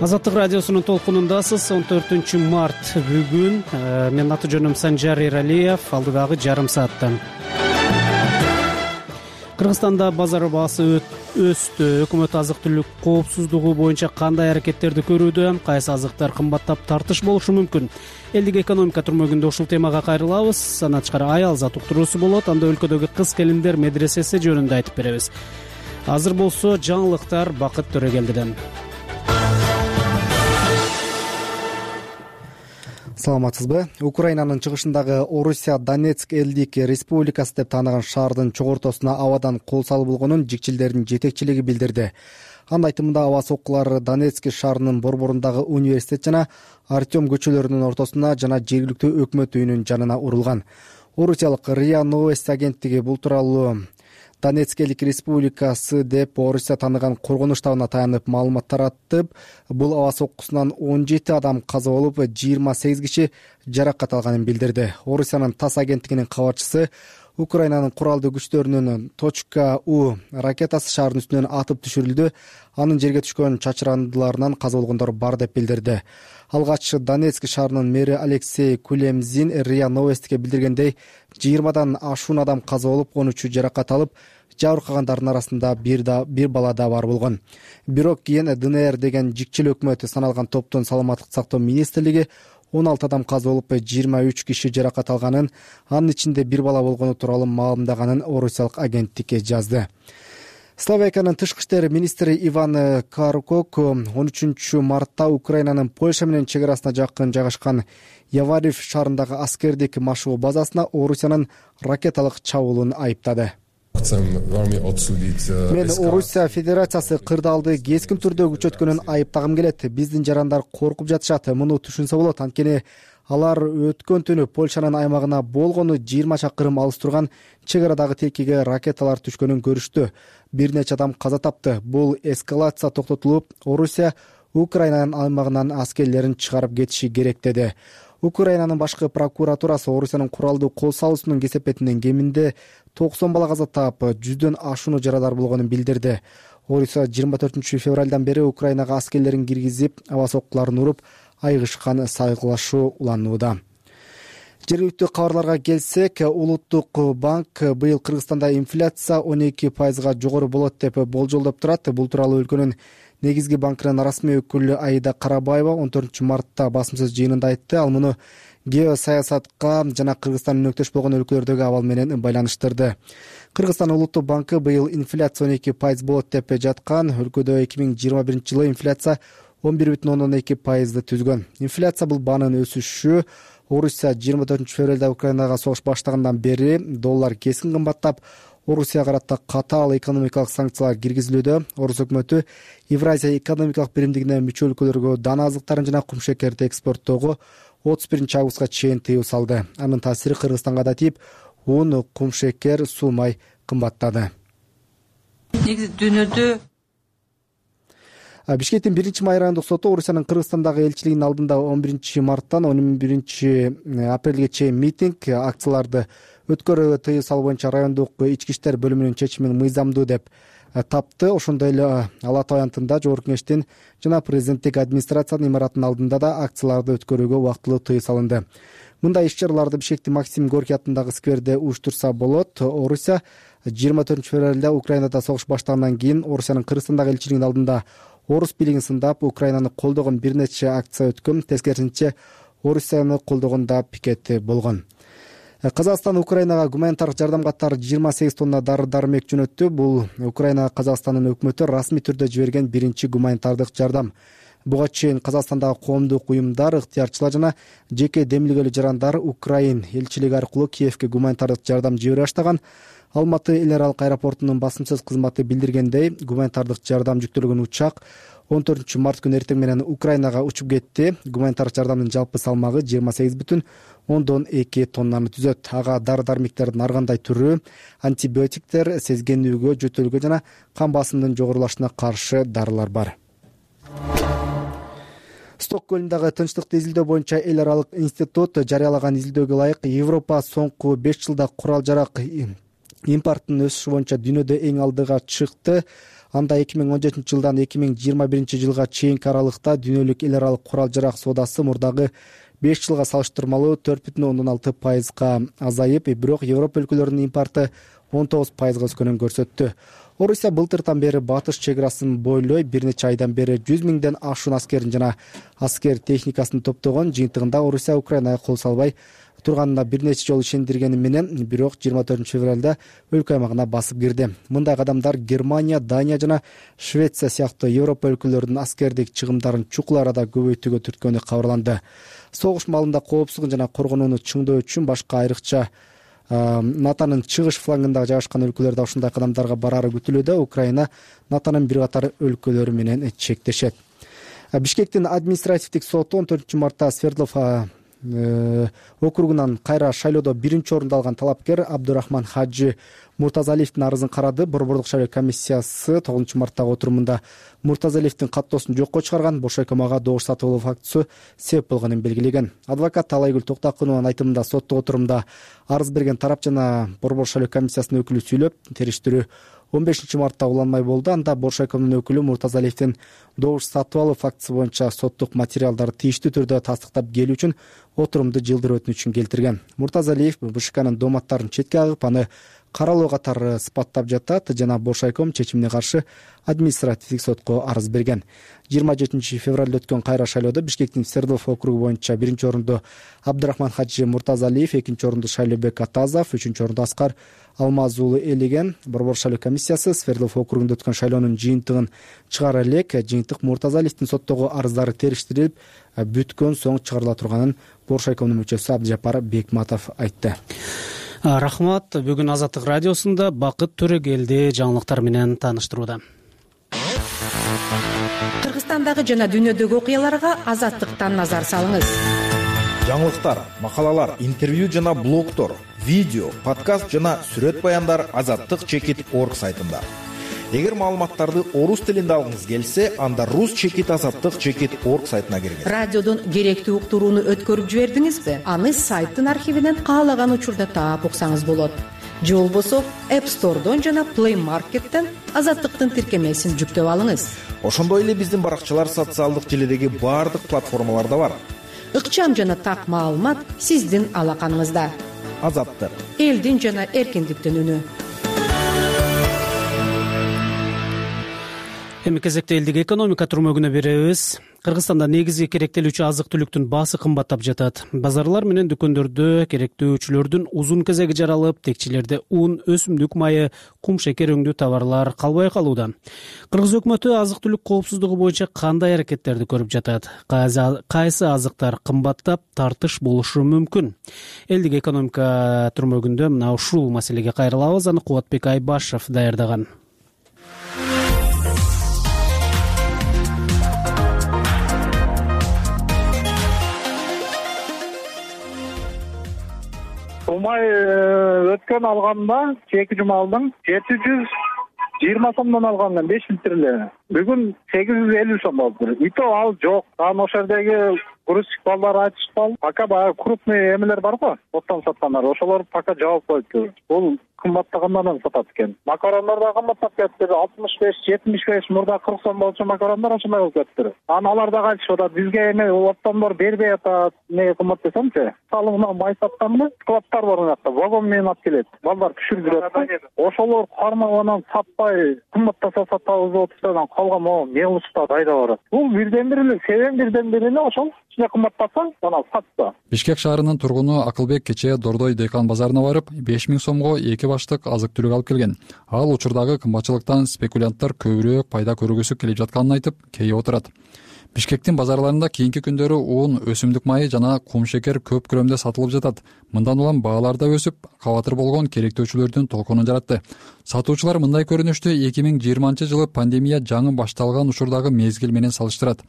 Азаттык радиосунун толкунундасыз. 14-март бүгүн. Менин аты жөнүм Санжар Эралиев. Алдыдагы жарым саатта Кыргызстанда базар баасы өстү. Өкмөт азык-түлүк коопсуздугу боюнча кандай аракеттерди көрүүдө? Кайсы азыктар кымбаттап тартыш болушу мүмкүн? Элдик экономика түрмөгүндө ушул темага кайрылабыз. Андан тышкары аялзат уктуруусу болот. Анда өлкөдөгү кыз келиндер медресеси жөнүндө айтып беребиз. Азыр болсо жаңылыктар Бакыт Төрөгелдиден. Саламатсызбы? Украинанын чыгышындагы Орусия Донецк элдик республикасы деп тааныган шаардын чогортосуна абадан кол салуу болгонун жикчилдердин жетекчилиги билдирди. Анын айтымында аба соккулар Донецк шаарынын борборундагы университет жана Артем көчөлөрүнүн ортосуна жана жергиликтүү өкмөт үйүнүн жанына урулган. Орусиялык РИА Новости агенттиги бул тууралуу Донецк элдик республикасы деп Орусия тааныган коргонуч штабына таянып маалымат таратып, бул аба соккусунан 17 адам каза болуп, 28 киши жаракат алганын билдирди. Орусиянын ТАСС агенттигинин кабарчысы Украинанын куралдуу күчтөрүнүн .У ракетасы шаардын үстүнөн атып түшүрүлдү. Анын жерге түшкөн чачырандыларынан каза болгондор бар деп билдирди. Алгач Донецк шаарынын мэри Алексей Кулемзин РИА Новостиге билдиргендей, 20дан ашуун адам каза болуп, 13 жаракат алып, жабыркагандардын арасында бир бала да бар болгон. Бирок кийин ДНР деген жикчил өкмөт саналган топтун саламаттык сактоо министрлиги 16 адам каза болуп, 23 киши жаракат алганын, анын ичинде бир бала болгону тууралуу маалымдаганын орусиялык агенттик жазды. Словакиянын тышкы иштер министри Иван Каркок 13 мартта Украинанын Польша менен чек арасына жакын жайгашкан Яварев шаарындагы аскердик машыгуу базасына Орусиянын ракеталык чабуулун айыптады. Мен Орусия Федерациясы кырдаалды кескин түрдө күчөткөнүн айыптагым келет. Биздин жарандар коркуп жатышат. Муну түшүнсө болот. Анткени алар өткөн түнү Польшанын аймагына болгону 20 чакырым алыс турган чек арадагы тилкеге ракеталар түшкөнүн көрүштү. Бир нече адам каза тапты. Бул эскалация токтотулуп, Орусия Украинанын аймагынан аскерлерин чыгарып кетиши керек деди. Украинанын башкы прокуратурасы Орусиянын куралдуу кол салуусунун кесепетинен кеминде 90 бала каза таап, 100дөн ашууну жарадар болгонун билдирди. Орусия 24 февралдан бери Украинага аскерлерин киргизип, аба соккуларын уруп, айгышкан сайгылашуу уланууда. Жергиликтүү кабарларга келсек, Улуттук банк быйыл Кыргызстанда инфляция 12% жогору болот деп болжолдоп турат. Бул тууралуу өлкөнүн негизги банкынын расмий өкүлү Аида Карабаева 14 мартта басым сөз жыйынында айтты. Ал муну геосаясатка жана Кыргызстандын өнөктөш болгон өлкөлөрдөгү абал менен байланыштырды. Кыргызстан Улуттук банкы быйыл инфляция 12% болот деп жаткан. Өлкөдө 2021-жылы инфляция 11,2%ды түзгөн. Инфляция бул баанын өсүшү. Орусия 24 февралда Украинага согуш баштагандан бери доллар кескин кымбаттап, Орусияга карата катаал экономикалык санкциялар киргизилүүдө. Орус өкмөтү Евразия экономикалык биримдигине мүчө өлкөлөргө дан азыктарын жана кумшекерди экспорттоого 31 августка чейин тыюу салды. Анын таасири Кыргызстанга да тийип, un, кумшекер, суу май кымбаттады. Негизи дүйнөдө Бишкектин 1-май райондук соту Орусиянын Кыргызстандагы элчилигинин алдында 11 марттан 11 апрелге чейин митинг, акцияларды өткөрүүгө тыюу салуу боюнча райондук ички иштер бөлүмүнүн чечимин мыйзамдуу деп тапты. Ошондой эле Ала Тоо аянтында Жогорку Кеңештин жана президенттик администрациянын имаратынын алдында да акцияларды өткөрүүгө убактылуу тыюу салынды. Мындай иш-чараларды Бишкектин Максим Горький атындагы скверде уюштурса болот. Орусия 24 февралда Украинада согуш баштагандан кийин Орусиянын Кыргызстандагы элчилигинин алдында орус бийлигин сындап, Украинаны колдогон бир нече акция өткөн. Тескерисинче Орусияны колдогон да пикет болгон. Казакстан Украинага гуманитардык жардам катары 28 тонна дары-дармек жөнөттү. Бул Украинага Казакстандын өкмөтү расмий түрдө жиберген биринчи гуманитардык жардам. Буга чейин Казакстандагы коомдук уюмдар, ыктыярчылар жана жеке демилгелүү жарандар Украин элчилиги аркылуу Киевке гуманитардык жардам жибере баштаган. Алматы эл аралык аэропортунун басымсыз кызматы билдиргендей, гуманитардык жардам жүктөлгөн учак 14 март күнү эртең менен Украинага учуп кетти. Гуманитардык жардамдын жалпы салмагы 28,2 тоннаны түзөт. Ага дары-дармектердин ар кандай түрү, антибиотиктер, сезгенүүгө, жөтөлгө жана кан басымынын жогорулашына каршы дарылар бар. Стокгольмдагы тынчтыкты изилдөө боюнча эл аралык институт жарыялаган изилдөөгө ылайык Европа соңку 5 жылда курал-жарак импорттун өсүшү боюнча дүйнөдө эң алдыга чыкты. Анда 2017 жылдан 2021 жылга чейинки аралыкта дүйнөлүк эл аралык курал-жарак соодасы мурдагы 5 жылга салыштырмалуу 4,6% азайып, бирок Европа өлкөлөрүнүн импорты 19% өскөнүн көрсөттү. Орусия былтыртан бери батыш чек арасын бойлой бир нече айдан бери 100 миңден ашуун аскерин жана аскер техникасын топтогон. Жыйынтыгында Орусия Украинага кол салбай турганына бир нече жолу ишендиргени менен, бирок 24 февралда өлкө аймагына басып кирди. Мындай кадамдар Германия, Дания жана Швеция сыяктуу Европа өлкөлөрүнүн аскердик чыгымдарын чукул арада көбөйтүүгө түрткөнү кабарланды. Согуш маалында коопсуздугун жана коргонууну чыңдоо үчүн башка айрыкча НАТОнун чыгыш флангында жайгашкан өлкөлөр да ушундай кадамдарга барары күтүлүүдө. Украина НАТОнун бир катар өлкөлөрү менен чектешет. Бишкектин административдик соту 14 мартта Свердлов округунан кайра шайлоодо биринчи орунду алган талапкер Абдурахман Хаджи Муртазалиевдин арызын карады. Борбордук шайлоо комиссиясы 9 марттагы отурумунда Муртазалиевдин каттоосун жокко чыгарган, бошойкомага добуш сатып алуу фактысы себеп болгонун белгилеген. Адвокат Талайгүл Токтакунованын айтымында соттук отурумда арыз берген тарап жана Борбор шайлоо комиссиясынын өкүлү сүйлөп, териштирүү 15 мартта уланмай болду. Анда Боршойкомдун өкүлү Муртазалиевдин добуш сатып алуу фактысы боюнча соттук материалдарды тийиштүү түрдө тастыктап келүү үчүн отурумду жылдырып өтүнүчүн келтирген. Муртазалиев БШКнын доматтарын четке агып, аны каралоо катары сыпаттап жатат жана Боршойком чечимине каршы административдик сотко арыз берген. 27 февралда өткөн кайра шайлоодо Бишкектин Свердлов округу боюнча биринчи орунду Абдурахман Хаджи Муртазалиев, экинчи орунду Шайлообек Атазов, үчүнчү орунду Аскар Алмаз уулу ээлеген. Борбор шайлоо комиссиясы Свердлов округунда өткөн шайлоонун жыйынтыгын чыгара элек. Жыйынтык Муртазалиевдин соттогу арыздары териштирилип, бүткөн соң чыгарыла турганын Боршойкомдун мүчөсү Абдыжапар Бекматов айтты. Рахмат. Бүгүн Азаттык радиосунда Бакыт Төрөгелди жаңылыктар менен тааныштырууда. Кыргызстандагы жана дүйнөдөгү окуяларга Азаттыктан назар салыңыз. Жаңылыктар, макалалар, интервью жана блогтор, видео, подкаст жана сүрөт баяндар azattik.org сайтында. Эгер маалыматтарды орус тилинде алгыңыз келсе, анда rus.azattik.org сайтына киргиз. Радиодон керектүү уктурууну өткөрүп жибердиңизби? Аны сайттын архивинен каалаган учурда таап уксаңыз болот. Же болбосо App Store'дон жана Play Market'тен Азаттыктын тиркемесин жүктөп алыңыз. Ошондой эле биздин баракчалар социалдык желидеги баардык платформаларда бар. Ыкчам жана так маалымат сиздин алаканыңызда. Азаттык. Элдин жана эркиндиктин үнү. Эми кезекте элдик экономика турмөгүнө беребиз. Кыргызстанда негизги керектелүүчү азык-түлүктүн баасы кымбаттап жатат. Базарлар менен дүкөндөрдө керектөөчүлөрдүн узун кезеги жаралып, текчелерде ун, өсүмдүк майы, кум шекер өңдүү товарлар калбай калууда. Кыргыз өкмөтү азык-түлүк коопсуздугу боюнча кандай аракеттерди көрүп жатат? Кайсы азыктар кымбаттап, тартыш болушу мүмкүн? Элдик экономика турмөгүндө мына ушул маселеге кайрылабыз. Аны Кубатбек Айбашев даярдаган. Умай өткөн алганда, чеки жума алдым, 720 сомдон алгам, 5 литрле. Бүгүн 850 сом болду. И то ал жок. Анан ошол жердеги грузчик балдар айтышпал. Пока баягы крупный эмелер бар го, оттон саткандар. Ошолор пока жабып коюпту. Бул кымбаттагандан сатат экен. Макарондар да кымбаттап кетти. 65-75 мурда 40 сом болчу макарондар ошондой болуп кетти. Алар да кайтышып атат. Бизге эме оптомдор бербей атат. Не кымбат десемчи. Салымына май сатканды складтар бар мынакта. Вагон менен алып келет. Балдар түшүрүп. Ошолор кармаган сатпай кымбаттаса сатабыз деп отурса, калган могу мелочта кайда барат. Бул бирден бир эле, себеп бирден бир эле ошол. Ичине кымбаттаса, жана сатса. Бишкек шаарынын тургуну Акылбек кечээ Дордой дыйкан базарына барып, 5000 сомго 2 баштык азык-түлүк алып келген. Ал учурдагы кымбатчылыктан спекулянттар көбүрөөк пайда көргүсү келип жатканын айтып, кейип отурат. Бишкектин базарларында кийинки күндөрү ун, өсүмдүк майы жана кум шекер көп көлөмдө сатылып жатат. Мындан улам баалар да өсүп, кабатыр болгон керектөөчүлөрдүн толкунун жаратты. Сатуучулар мындай көрүнүштү 2020-жылы пандемия жаңы башталган учурдагы мезгил менен салыштырат.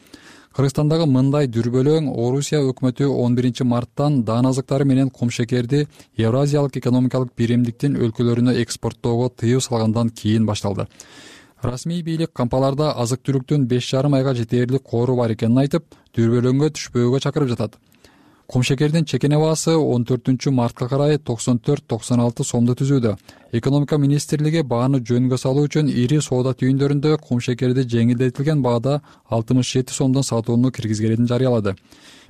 Кыргызстандагы мындай дүрбөлөң Орусия өкмөтү 11 марттан даан азыктары менен кум шекерди Евразиялык экономикалык биримдиктин өлкөлөрүнө экспорттоого тыюу салгандан кийин башталды. Расмий бийлик кампаларда азык-түлүктүн 5,5 айга жетээрлик коору бар экенин айтып, дүрбөлөңгө түшпөөгө чакырып жатат. Кум шекердин чекене баасы 14 мартка карай 94-96 сомду түзүүдө. Экономика министрлиги бааны жөнгө салуу үчүн ири соода түйүндөрүндө кум шекерди жеңилдетилген баада 67 сомдон сатууну киргизгенин жарыялады.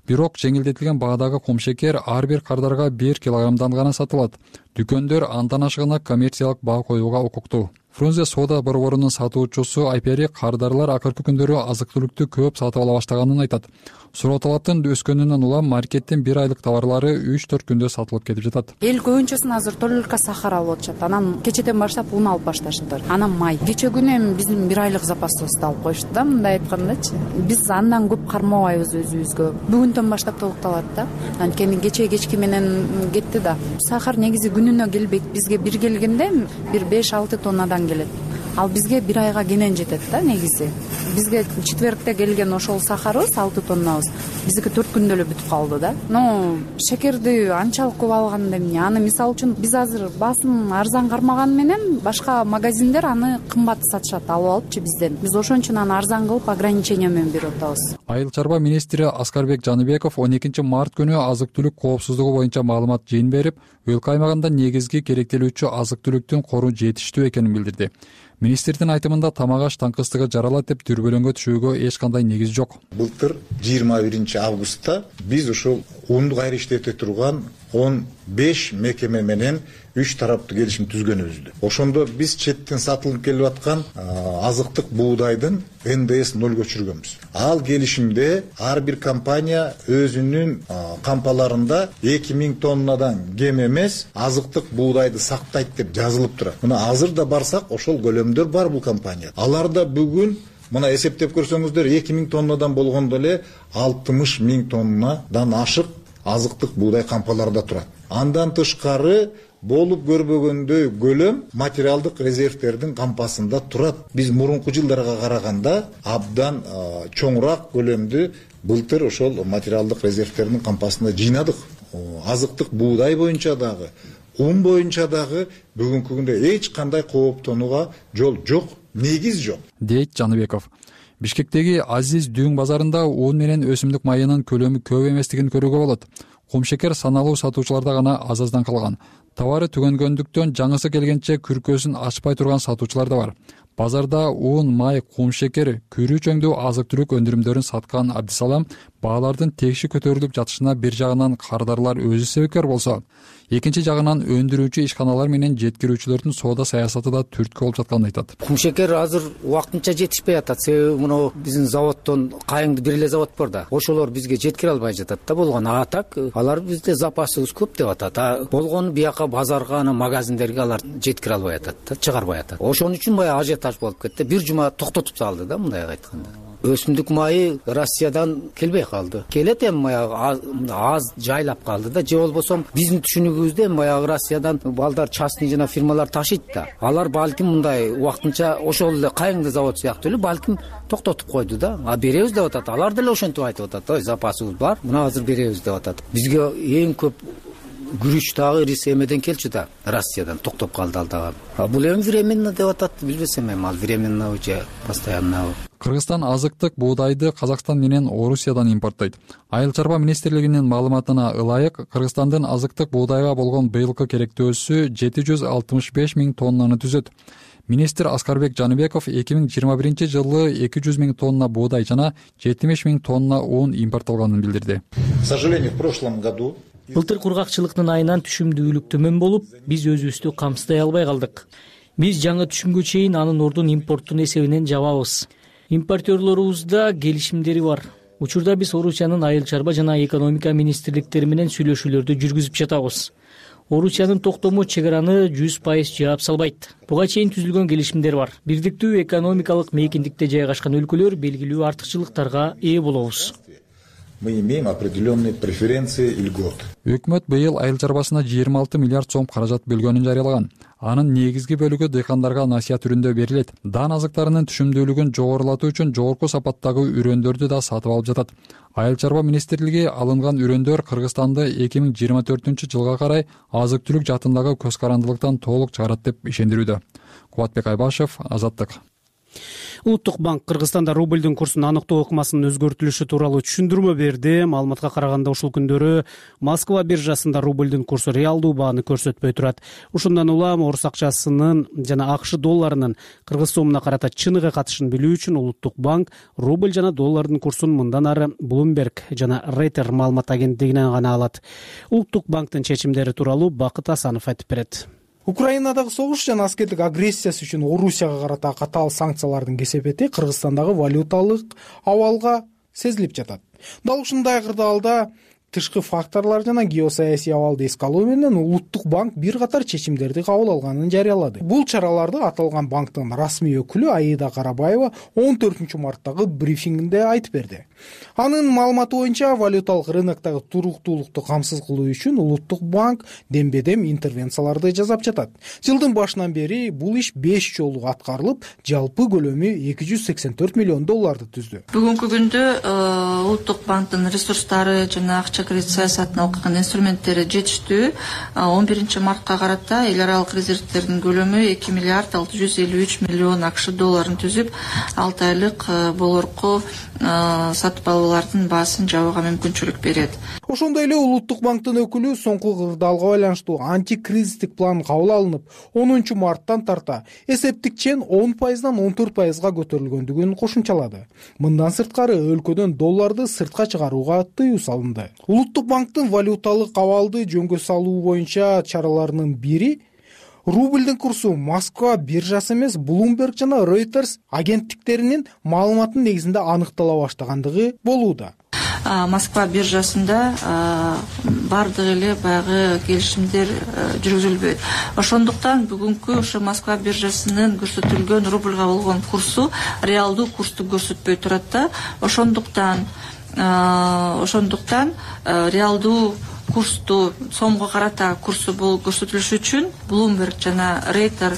Бирок жеңилдетилген баадагы кум шекер ар бир кардарга 1 килограммдан гана сатылат. Дүкөндөр андан ашыгына коммерциялык баа коюуга укуктуу. Фрунзе соода борборунун сатуучусу Айпери кардарлар акыркы күндөрү азык-түлүктү көп сатып ала баштаганын айтат. Суроо талаптын өскөнүнөн улам маркеттин 1 айлык товарлары 3-4 күндө сатылып кетип жатат. Эл көбүнчөсүн азыр только сахар алып атышат. Анан кечеден баштап ун алып башташты. Анан май. Кече күнү эми биздин 1 айлык запасыбызды алып коюшту да, мындай айткандачы. Биз андан көп кармабайбыз өзүбүзгө. Бүгүндөн баштап толукталат да. Анткени кечки менен кетти да. Сахар негизи күнүнө келбейт. Бизге бир келгенде бир 5-6 тоннадан келет. Ал бизге 1 айга кенен жетет да негизи. Бизге четвертте келген ошол сахарыбыз 6 тоннабыз. Биздики 4 күндө эле бүтүп калды да. Шекерди анчалык көп алганда эмне? Аны мисалы үчүн биз азыр басым арзан кармаган менен башка магазиндер аны кымбат сатышат, алып алыпчы бизден. Биз ошон үчүн аны арзан кылып ограничение менен берип атабыз. Айыл чарба министри Аскарбек Жаныбеков 12 март күнү азык-түлүк коопсуздугу боюнча маалымат жыйын берип, өлкө аймагында негизги керектелүүчү азык-түлүктүн кору жетиштүү экенин билдирди. Министрдин айтымында тамак-аш таңкыстыгы жаралат деп дүрбөлөңгө түшүүгө эч кандай негиз жок. Былтыр 21 августта биз ушул унду кайра иштете турган 15 мекеме менен 3 тараптуу келишим түзгөнүбүздү. Ошондо биз четтен сатылып келип аткан азыктык буудайдын НДС 0 өчүргөнбүз. Ал келишимде ар бир компания өзүнүн кампаларында 2000 тоннадан кем эмес азыктык буудайды сактайт деп жазылып турат. Мына азыр да барсак ошол көлөмдөр бар бул компания. Аларда бүгүн мына эсептеп көрсөңүздөр 2000 тоннадан болгондо эле 60 000 тоннадан ашык азыктык буудай кампаларда турат. Андан тышкары болуп көрбөгөндөй көлөм материалдык резервтердин кампасында турат. Биз мурунку жылдарга караганда абдан чоңураак көлөмдү былтыр ошол материалдык резервтердин кампасында жыйнадык. Азыктык буудай боюнча дагы, ун боюнча дагы бүгүнкү күндө эч кандай кооптонууга жол жок, негиз жок, дейт Жаныбеков. Бишкектеги Азиз Дүүң базарында ун менен өсүмдүк майынын көлөмү көп эместигин көрүүгө болот. Кум шекер саналуу сатуучуларда гана аздан калган. Товары түгөнгөндүктөн жаңысы келгенче күркөсүн ачпай турган сатуучулар да бар. Базарда ун, май, кум шекер, күрүү чөңдүү азык-түлүк өндүрүмдөрүн саткан Абдисалам баалардын текши көтөрүлүп жатышына бир жагынан кардарлар өзү себепкер болсо, экинчи жагынан өндүрүүчү ишканалар менен жеткирүүчүлөрдүн соода саясаты да түрткү болуп жатканын айтат. Кум шекер азыр убактынча жетишпей атат. Себеби мына биздин заводдон кайыңды бир эле завод бар да. Ошолор бизге жеткире албай жатат да болгону. А так алар бизде запасыбыз көп деп атат. Болгону бияка базарга, ана магазиндерге алар жеткире албай атат да, чыгарбай атат. Ошон үчүн баягы ажиотаж болуп кетти. Бир жума токтотуп салды да, мындай айтканда. Өсүмдүк майы Россиядан келбей калды. Келет эми баягы аз жайлап калды да, же болбосо биздин түшүнүгүбүздө баягы Россиядан балдар частный жана фирмалар ташыйт да. Алар балким мындай убактынча ошол эле кайыңды завод сыяктуу эле балким токтотуп койду да. А беребиз деп атат. Алар деле ошентип айтып атат. Ой, запасыбыз бар, мына азыр беребиз деп атат. Бизге эң көп күрүч дагы эмеден келчү да, Россиядан токтоп калды ал дагы. Бул эми временно деп атат, билбесем эми ал временно же постоянно. Кыргызстан азыктык буудайды Казакстан менен Орусиядан импорттойт. Айыл чарба министрлигинин маалыматына ылайык, Кыргызстандын азыктык буудайга болгон быйылкы керектөөсү 765 000 тоннаны түзөт. Министр Аскарбек Жаныбеков 2021-жылы 200 000 тонна буудай жана 70 000 тонна un импорттолгонун билдирди. К сожалению, в прошлом году былтыр кургакчылыктын айынан түшүмдүүлүк төмөн болуп, биз өзүбүздү камсыздай албай калдык. Биз жаңы түшүмгө чейин анын ордун импорттун эсебинен жабабыз. Импортерлорубузда келишимдери бар. Учурда биз Орусиянын айыл чарба жана экономика министрликтери менен сүйлөшүүлөрдү жүргүзүп жатабыз. Орусиянын токтому чек араны 100% жаап салбайт. Буга чейин түзүлгөн келишимдер бар. Бирдиктүү экономикалык мейкиндикте жайгашкан өлкөлөр белгилүү артыкчылыктарга ээ болобуз. Мы имеем определенные преференции и льготы. Өкмөт быйыл айыл чарбасына 26 миллиард сом каражат бөлгөнүн жарыялаган. Анын негизги бөлүгү дыйкандарга насыя түрүндө берилет. Дан азыктарынын түшүмдүүлүгүн жогорулатуу үчүн жогорку сапаттагы үрөндөрдү да сатып алып жатат. Айыл чарба министрлиги алынган үрөндөр Кыргызстанды 2024-жылга карай азык-түлүк жаатындагы көз карандылыктан толук чыгарат деп ишендирүүдө. Кубатбек Айбашев, Азаттык. Улуттук банк Кыргызстанда рубльдин курсун аныктоо ыкмасынын өзгөртүлүшү тууралуу түшүндүрмө берди. Маалыматка караганда ушул күндөрү Москва биржасында рубльдин курсу реалдуу бааны көрсөтпөй турат. Ушундан улам орус акчасынын жана АКШ долларынын кыргыз сомуна карата чыныгы катышын билүү үчүн Улуттук банк рубль жана доллардын курсун мындан ары Bloomberg жана Reuters маалымат агенттигинен гана алат. Улуттук банктын чечимдери тууралуу Бакыт Асанов айтып берет. Украинадагы согуш жана аскердик агрессиясы үчүн Орусияга карата катаал санкциялардын кесепети Кыргызстандагы валюталык абалга сезилип жатат. Дал ушундай кырдаалда тышкы факторлор жана геосаясий абалды эске алуу менен Улуттук банк бир катар чечимдерди кабыл алганын жарыялады. Бул чараларды аталган банктын расмий өкүлү Аида Карабаева 14-марттагы брифингинде айтып берди. Анын маалыматы боюнча валюталык рыноктогу туруктуулукту камсыз кылуу үчүн Улуттук банк дембедем интервенцияларды жасап жатат. Жылдын башынан бери бул иш 5 жолу аткарылып, жалпы көлөмү 284 миллион долларды түздү. Бүгүнкү күндө Улуттук банктын ресурстары жана акча кредит саясатына алган инструменттери жетиштүү. 11-мартка карата эл аралык резервтердин көлөмү 2 миллиард 653 миллион АКШ долларын түзүп, 6 айлык болорку сатып алуулардын баасын жабууга мүмкүнчүлүк берет. Ошондой эле Улуттук банктын өкүлү соңку кырдаалга байланыштуу антикризистик план кабыл алынып, 10-марттан тарта эсептик чен 10%дан 14%га көтөрүлгөндүгүн кошумчалады. Мындан сырткары өлкөдөн долларды сыртка чыгарууга тыюу салынды. Улуттук банктын валюталык абалды жөнгө салуу боюнча чараларынын бири рубльдин курсу Москва биржасы эмес Bloomberg жана Reuters агенттиктеринин маалыматынын негизинде аныктала баштагандыгы болууда. Москва биржасында бардык эле баягы келишимдер жүргүзүлбөйт. Ошондуктан бүгүнкү ошо Москва биржасынын көрсөтүлгөн рубльга болгон курсу реалдуу курсту көрсөтпөй турат да. Ошондуктан реалдуу курсту сомго карата курсу бул көрсөтүлүшү үчүн Bloomberg жана Reuters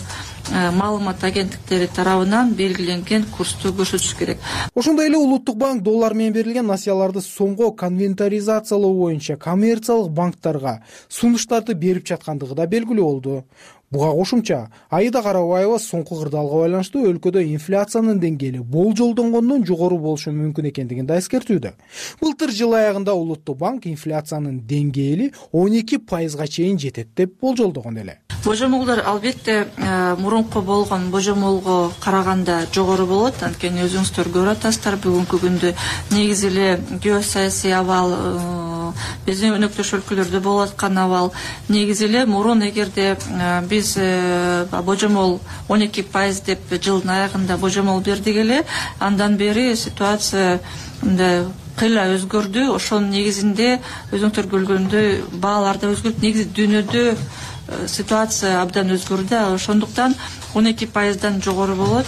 маалымат агенттиктери тарабынан белгиленген курсту көрсөтүш керек. Ошондой эле Улуттук банк доллар менен берилген насыяларды сомго конвертаризациялоо боюнча коммерциялык банктарга сунуштарды берип жаткандыгы да белгилүү болду. Буга кошумча Аида Карабаева соңку кырдаалга байланыштуу өлкөдө инфляциянын деңгээли болжолдонгондон жогору болушу мүмкүн экендигин да эскертүүдө. Былтыр жыл аягында Улуттук банк инфляциянын деңгээли 12%га чейин жетет деп болжолдогон эле. Божомолдор албетте мурунку болгон божомолго караганда жогору болот. Анткени өзүңүздөр көрүп атасыздар, бүгүнкү күндө негизи эле геосаясий абал биздин өнөктөш өлкөлөрдө болуп аткан абал. Негизи эле мурун эгерде биз божомол 12% деп жылдын аягында божомол бердик эле, андан бери ситуация мындай кыйла өзгөрдү. Ошонун негизинде өзүңүздөр көргөндөй баалар да өзгөрүп, негизи дүйнөдө ситуация абдан өзгөрдү. Ошондуктан 12%дан жогору болот.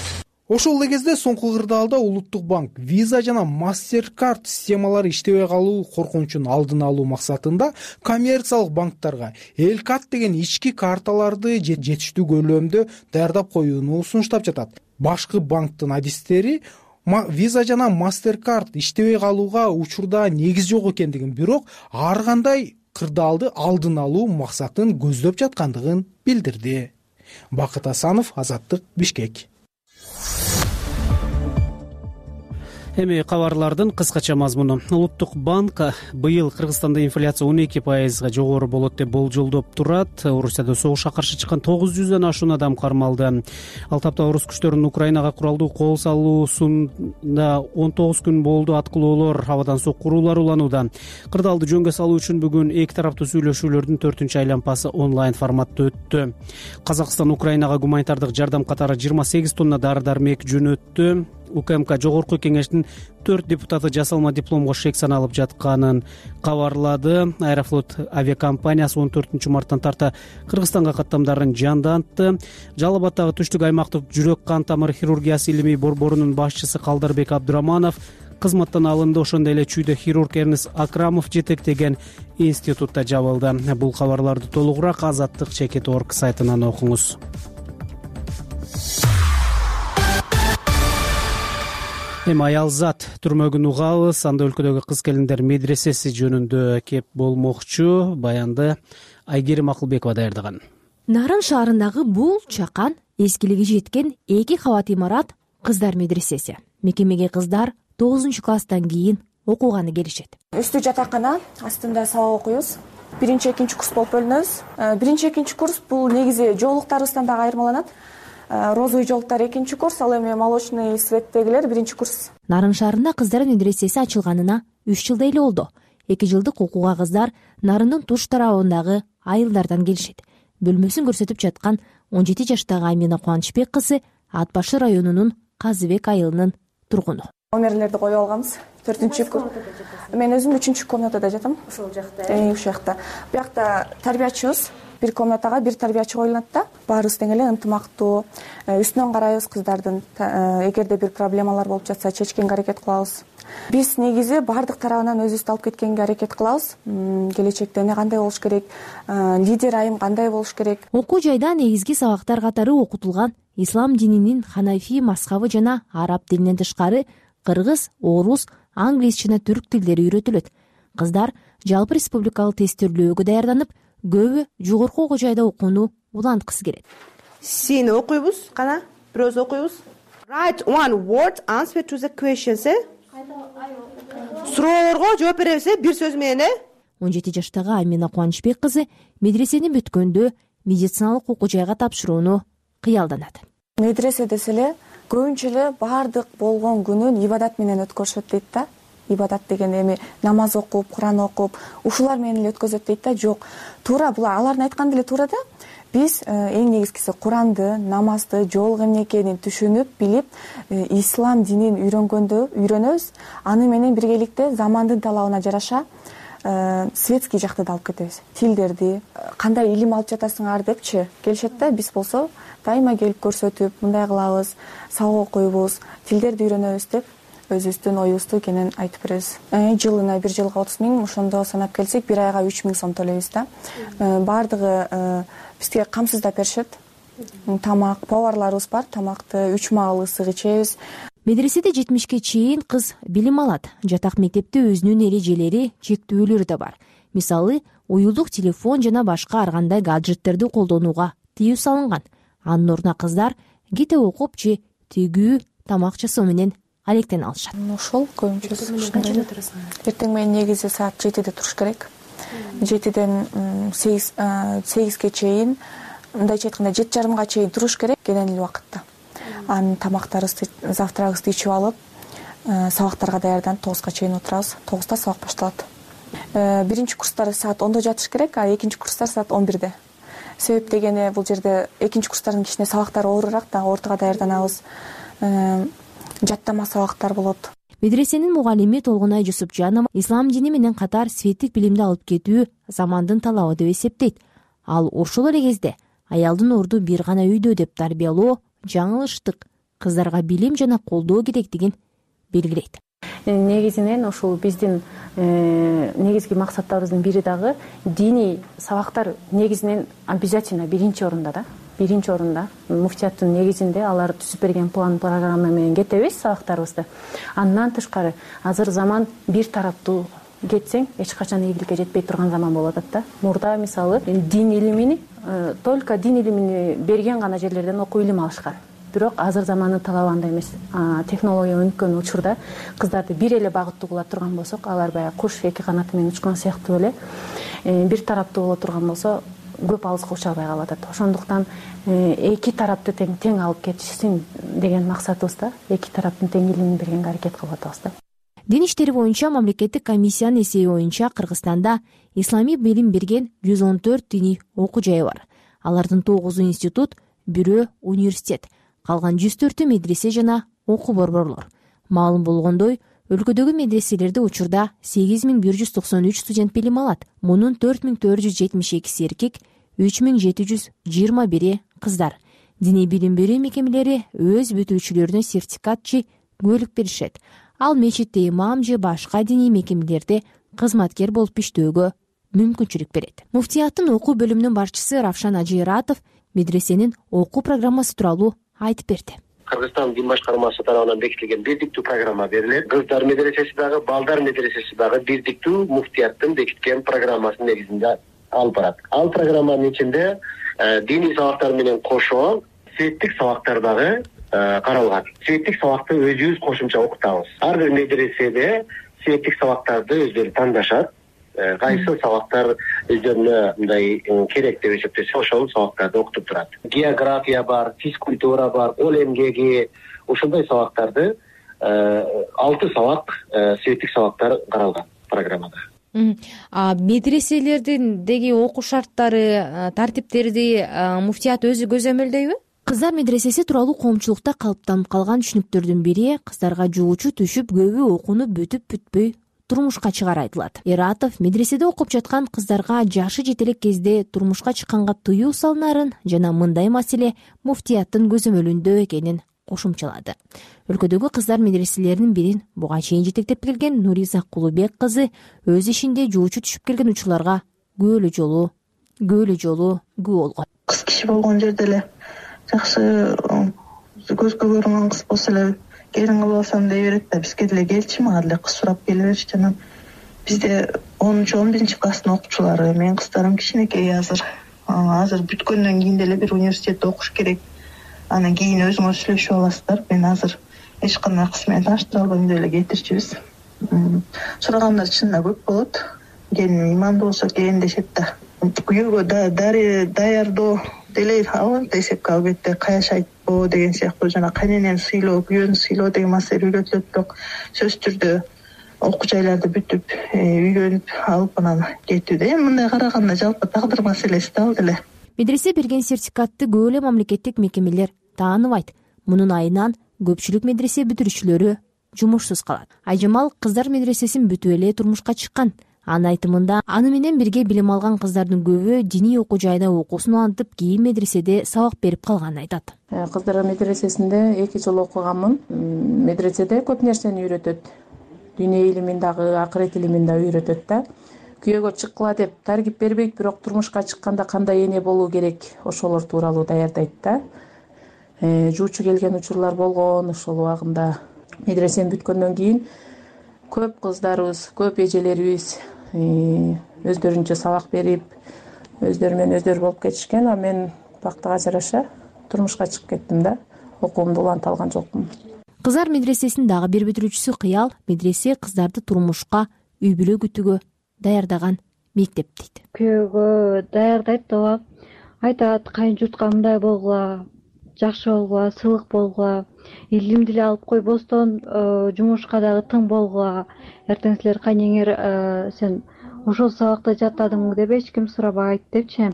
Ошол эле кезде соңку кырдаалда Улуттук банк Visa жана MasterCard системалары иштебей калуу коркунучун алдын алуу максатында коммерциялык банктарга Elcard деген ички карталарды жетиштүү көлөмдө даярдап коюуну сунуштап жатат. Башкы банктын адистери Visa жана MasterCard иштебей калууга учурда негиз жок экендигин, бирок ар кандай кырдаалды алдын алуу максатын көздөп жаткандыгын билдирди. Бакыт Асанов, Азаттык, Бишкек. Эми кабарлардын кыскача мазмуну. Улуттук банк быйыл Кыргызстанда инфляция 12% жогору болот деп болжолдоп турат. Орусияда согушка каршы чыккан 900дөн ашуун адам кармалды. Ал тапта орус күчтөрүнүн Украинага куралдуу кол салуусунда 19 күн болду. Аткылоолор, абадан соккуруулар уланууда. Кырдаалды жөнгө салуу үчүн бүгүн эки тараптуу сүйлөшүүлөрдүн 4-чү айлампасы онлайн форматта өттү. Казакстан Украинага гуманитардык жардам катары 28 тонна дары-дармек жөнөттү. УКМК жогорку кеңештин 4 депутаты жасалма дипломго шек саналып жатканын кабарлады. Аэрофлот авиакомпаниясы 14 марттан тарта Кыргызстанга каттамдарын жандантты. Жалал Абаддагы түштүк аймактык жүрөк кан тамыр хирургиясы илимий борборунун башчысы Калдарбек Абдураманов кызматтан алынды. Ошондой эле чүйдө хирург Эрнес Акрамов жетектеген институтта жабылды. Бул кабарларды толугураак Азаттык.org сайтынан окуңуз. Эми аялзат түрмөгүн угабыз. Анда өлкөдөгү кыз келиндер медресеси жөнүндө кеп болмокчу. Баянды Айгерим Акылбекова даярдаган. Нарын шаарындагы бул чакан эскилиги жеткен 2 кабат имарат кыздар медресеси. Мекемеге кыздар 9-класстан кийин окуганы келишет. Үстү жатакана, астында сабак окуйбуз. 1-2 курс болуп бөлүнөбүз. 1-2 курс бул негизи жоолуктарыбыздан дагы айырмаланат. Розовый жоолуктар 2 курс, ал эми молочный цветтегилер 1 курс. Нарын шаарында кыздар медресеси ачылганына 3 жылдай эле болду. 2 жылдык окууга кыздар Нарындын туш тарабындагы айылдардан келишет. Бөлмөсүн көрсөтүп жаткан 17 жаштагы Амина Кубанычбек кызы Ат Башы районунун Казыбек айылынын тургуну. Номерлерди коюп алганбыз. 4-курс. Мен өзүм 3 комнатада жатам. Ошол жакта. Ушул жакта. Буякта тарбиячыбыз. Бир комнатага бир тарбиячы коюлат да. Баарыбыз тең эле ынтымактуу, үстүнөн карайбыз кыздардын. Эгерде бир проблемалар болуп жатса, чечкенге аракет кылабыз. Биз негизи баардык тарабынан өзүбүздү алып кеткенге аракет кылабыз. Келечекте эмне кандай болуш керек, лидер айым кандай болуш керек. Окуу жайда негизги сабактар катары окутулган ислам дининин ханафи мазхабы жана араб тилинен тышкары кыргыз, орус, англис жана түрк тилдери үйрөтүлөт. Кыздар жалпы республикалык тестөөлөөгө даярданып, көбү жогорку окуу жайда окууну уланткысы келет. Сени окуйбуз, кана, бирөөз окуйбуз. Write one word answer to the questions. Суроолорго жооп беребиз, бир сөз менен. 17 жаштагы Амина Кубанычбек кызы медресени бүткөндө медициналык окуу жайга тапшырууну кыялданат. Медресе деселе көбүнчө эле баардык болгон күнүн ибадат менен өткөрүшөт дейт да. Ибадат деген эми намаз окуп, Куран окуп, ушулар менен эле өткөзөт дейт да. Жок, туура бул алардын айтканы деле туура да. Биз эң негизгиси Куранды, намазды, жоолук эмне экенин түшүнүп, билип, ислам динин үйрөнөбүз. Аны менен биргеликте замандын талабына жараша светский жакты да алып кетебиз. Тилдерди, кандай илим алып жатасыңар депчи келишет да. Биз болсо дайыма келип көрсөтүп, мындай кылабыз, сабак окуйбуз, тилдерди үйрөнөбүз деп өзүбүздүн оюбузду кенен айтып беребиз. Жылына 1 жылга 30 000, ошондо санап келсек 1 айга 3 000 сом төлөйбүз да. Бардыгы бизге камсыздап беришет. Тамак, поварларыбыз бар, тамакты 3 маал ысык ичебиз. Медреседе 70ке чейин кыз билим алат. Жатак мектепте өзүнүн эрежелери, чектөөлөрү да бар. Мисалы, уюлдук телефон жана башка ар кандай гаджеттерди колдонууга тыюу салынган. Анын ордуна кыздар кете окуп же тигүү, тамак жасоо менен алектен алышат. Ошол көбүнчөсү. Эртең менен негизи саат 7-де туруш керек. 7-ден 8-ге чейин, мындайча айтканда 7:30га чейин туруш керек кенен эле убакытта. Анын тамактарыбызды, завтрагыбызды ичип алып, сабактарга даярданып 9-га чейин отурабыз. 9-да сабак башталат. Биринчи курстар саат 10-да жатыш керек, а экинчи курстар саат 11-де. Себеп дегени бул жерде экинчи курстардын кичине сабактары оорураак да, ортого даярданабыз. Жаттама сабактар болот. Медресенин мугалими Толгунай Жусупжанова ислам дини менен катар светтик билимди алып кетүү замандын талабы деп эсептейт. Ал ошол эле кезде аялдын орду бир гана үйдө деп тарбиялоо жаңылыштык, кыздарга билим жана колдоо керектигин белгилейт. Негизинен ушул биздин негизги максаттарыбыздын бири дагы диний сабактар негизинен обязательно биринчи орунда да. Биринчи орунда муфтияттын негизинде алар түзүп берген план программа менен кетебиз сабактарыбызды. Андан тышкары азыр заман бир тараптуу кетсең эч качан ийгиликке жетпей турган заман болуп атат да. Мурда мисалы дин илимини только дин илимини берген гана жерлерден окуп илим алышкан. бирок азыр замандын талабы андай эмес. Технология өнүккөн учурда кыздарды бир эле багыттуу кыла турган болсок, алар баягы куш эки канаты менен учкан сыяктуу эле бир тараптуу боло турган болсо көп алыска уча албай калып атат. Ошондуктан эки тарапты тең алып кетишсин деген максатыбызда эки тараптын теңдүүлүгүн бергенге аракет кылып атабыз да. Дин иштери боюнча мамлекеттик комиссиянын эсеби боюнча Кыргызстанда исламий билим берген 114 диний окуу жайы бар. Алардын 9 институт, 1 университет, калган 104 медресе жана окуу борборлор. Маалым болгондой, өлкөдөгү медреселерде учурда 8193 студент билим алат. Мунун 4472 эркек, 3721 кыздар. Диний билим берүү мекемелери өз бүтүүчүлөрүнө сертификат же куөлүк беришет. Ал мечитте имам же башка диний мекемелерде кызматкер болуп иштөөгө мүмкүнчүлүк берет. Муфтияттын окуу бөлүмүнүн башчысы Равшан Ажиратов медресенин окуу программасы тууралуу айтып берди. Кыргызстан дин башкармасы тарабынан бекитилген бирдиктүү программа берилет. Кыздар медресеси дагы, балдар медресеси дагы бирдиктүү муфтияттын бекиткен программасынын негизинде алып барат. Ал программанын ичинде диний сабактар менен кошо светтик сабактар дагы каралган. Светтик сабакты өзүбүз кошумча окутабыз. Ар бир медреседе светтик сабактарды өздөрү тандашат. Кайсы сабактар өздөрүнө мындай керек деп эсептесе, ошол сабактарды окутуп турат. География бар, физкультура бар, кол эмгеги, ошондой сабактарды 6 сабак светтик сабактар каралган программада. Медреселердеги окуу шарттары, тартиптерди муфтият өзү көзөмөлдөйбү? Кыздар медресеси тууралуу коомчулукта калыптанып калган түшүнүктөрдүн бири кыздарга жуучу түшүп көбү окууну бүтүп-бүтпөй турмушка чыгары айтылат. Иратов медреседе окуп жаткан кыздарга жашы жете элек кезде турмушка чыкканга тыюу салынарын жана мындай маселе муфтияттын көзөмөлүндө экенин кошумчалады. Өлкөдөгү кыздар медреселеринин бирин буга чейин жетектеп келген Нуриза Кулубек кызы өз ишинде жуучу түшүп келген учурларга көөлө жолу күбө болгон. Кыз киши болгон жерде эле жакшы көзгө көрүнгөн кыз болсо эле келин кылып алсам дей берет да, бизге деле келчи, мага деле кыз сурап келе берчи. Анан бизде 10-11 класстын окуучулары, менин кыздарым кичинекей азыр бүткөндөн кийин деле бир университетте окуш керек. Анан кийин өзүңөр сүйлөшүп аласыздар. Мен азыр эч кандай кыз менен тааныштыра албайм деп эле кетирчүбүз. Сурагандар чынында көп болот. Келин имандуу болсо келин дешет да. Күйөөгө даярдоо деле алынып эсепке албетте каяш айтпоо деген сыяктуу жана кайненени сыйлоо, күйөөнү сыйлоо деген маселе үйрөтүлөт, бирок сөзсүз түрдө окуу жайларды бүтүп, үйлөнүп алып анан кетүүдө. Мындай караганда жалпы тагдыр маселеси да ал деле. Медресе берген сертификатты көп эле мамлекеттик мекемелер тааныбайт. Мунун айынан көпчүлүк медресе бүтүрүүчүлөрү жумушсуз калат. Айжамал кыздар медресесин бүтүп эле турмушка чыккан. Анын айтымында, аны менен бирге билим алган кыздардын көбү диний окуу жайда окуусун улантып, кийин медреседе сабак берип калганын айтат. Кыздар медресесинде 2 жыл окуганмын. Медреседе көп нерсени үйрөтөт. Дүйнө илимин дагы, акырет илимин дагы үйрөтөт да. Күйөөгө чыккыла деп таргип бербейт, бирок турмушка чыкканда кандай эне болуу керек, ошолор тууралуу даярдайт да. Жуучу келген учурлар болгон, ошол убагында медресени бүткөндөн кийин көп кыздарыбыз, көп эжелерибиз өздөрүнчө сабак берип, өздөрү менен өздөрү болуп кетишкен. А мен бактыга жараша турмушка чыгып кеттим да. Окуумду уланта алган жокмун. Кыздар медресесинин дагы бир бүтүрүүчүсү Кыял медресе кыздарды турмушка, үй бүлө күтүүгө даярдаган мектеп дейт. Күйөөгө даярдайт ооба. Айтат, кайын журтка мындай болгула, жакшы болгула, сыйлык болгула, илимди эле алып койбостон жумушка дагы тың болгула. Эртең силер кайнеңер сен ошол сабакта жаттадыңбы деп эч ким сурабайт депчи.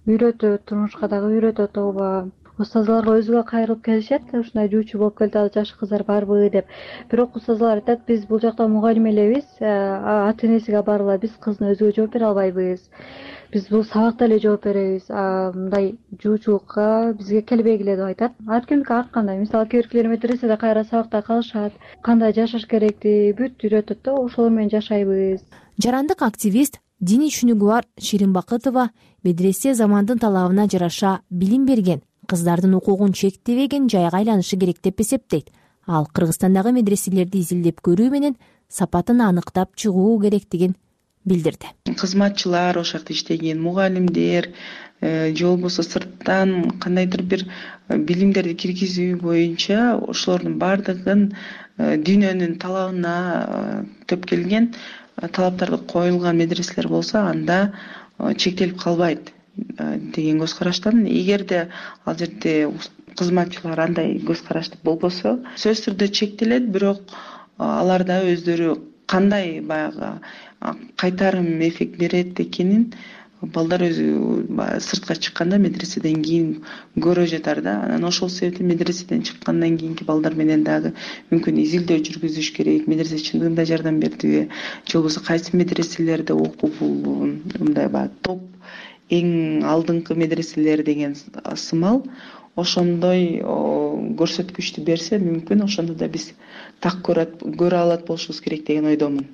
Үйрөтөт, турмушка дагы үйрөтөт ооба. Устазаларга өзүгө кайрылып келишет, ушундай жуучу болуп келатат жаш кыздар барбы деп. Бирок устазалар айтат, биз бул жакта мугалим элебиз, ата энесиге барыла, биз кыздын өзүгө жооп бере албайбыз. Биз бул сабакта эле жооп беребиз. Мындай жуучулукка бизге келбегиле деп айтат. Ар кимдики ар кандай. Мисалы кээ биркилер медреседе кайра сабакта калышат, кандай жашаш керекти бүт үйрөтөт да, ошолор менен жашайбыз. Жарандык активист, диний түшүнүгү бар Ширин Бакытова медресе замандын талабына жараша билим берген, кыздардын укугун чектебеген жайга айланышы керек деп эсептейт. Ал Кыргызстандагы медреселерди изилдеп көрүү менен сапатын аныктап чыгуу керектигин билдирди. Кызматчылар, ошол жакта иштеген мугалимдер же болбосо сырттан кандайдыр бир билимдерди киргизүү боюнча ошолордун баардыгын дүйнөнүн талабына төп келген талаптарды коюлган медреселер болсо анда чектелип калбайт деген көз караштамын. Эгерде ал жерде кызматчылар андай көз карашты болбосо сөзсүз түрдө чектелет, бирок аларда өздөрү кандай баягы кайтарым эффект берет экенин балдар өзү сыртка чыкканда медреседен кийин көрө жатар да. Анан ошол себептен медреседен чыккандан кийинки балдар менен дагы мүмкүн изилдөө жүргүзүш керек. Медресе чындыгында жардам бердиби же болбосо кайсы медреселерде окуп мындай баягы топ эң алдыңкы медреселер деген сымал ошондой көрсөткүчтү берсе мүмкүн ошондо да биз так көрө алат болушубуз керек деген ойдомун.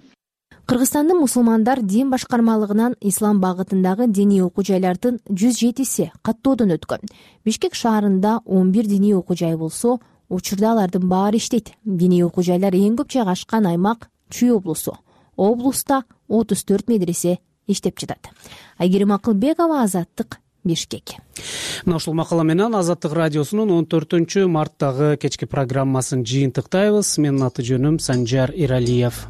Кыргызстандын мусулмандар дин башкармалыгынан ислам багытындагы диний окуу жайлардын 107си каттоодон өткөн. Бишкек шаарында 11 диний окуу жай болсо, учурда алардын баары иштейт. Диний окуу жайлар эң көп жайгашкан аймак Чүй облусу. Облуста 34 медресе иштеп жатат. Айгерим Акылбекова, Азаттык, Бишкек. Мына ушул макала менен Азаттык радиосунун 14-марттагы кечки программасын жыйынтыктайбыз. Менин аты жөнүм Санжар Иралиев.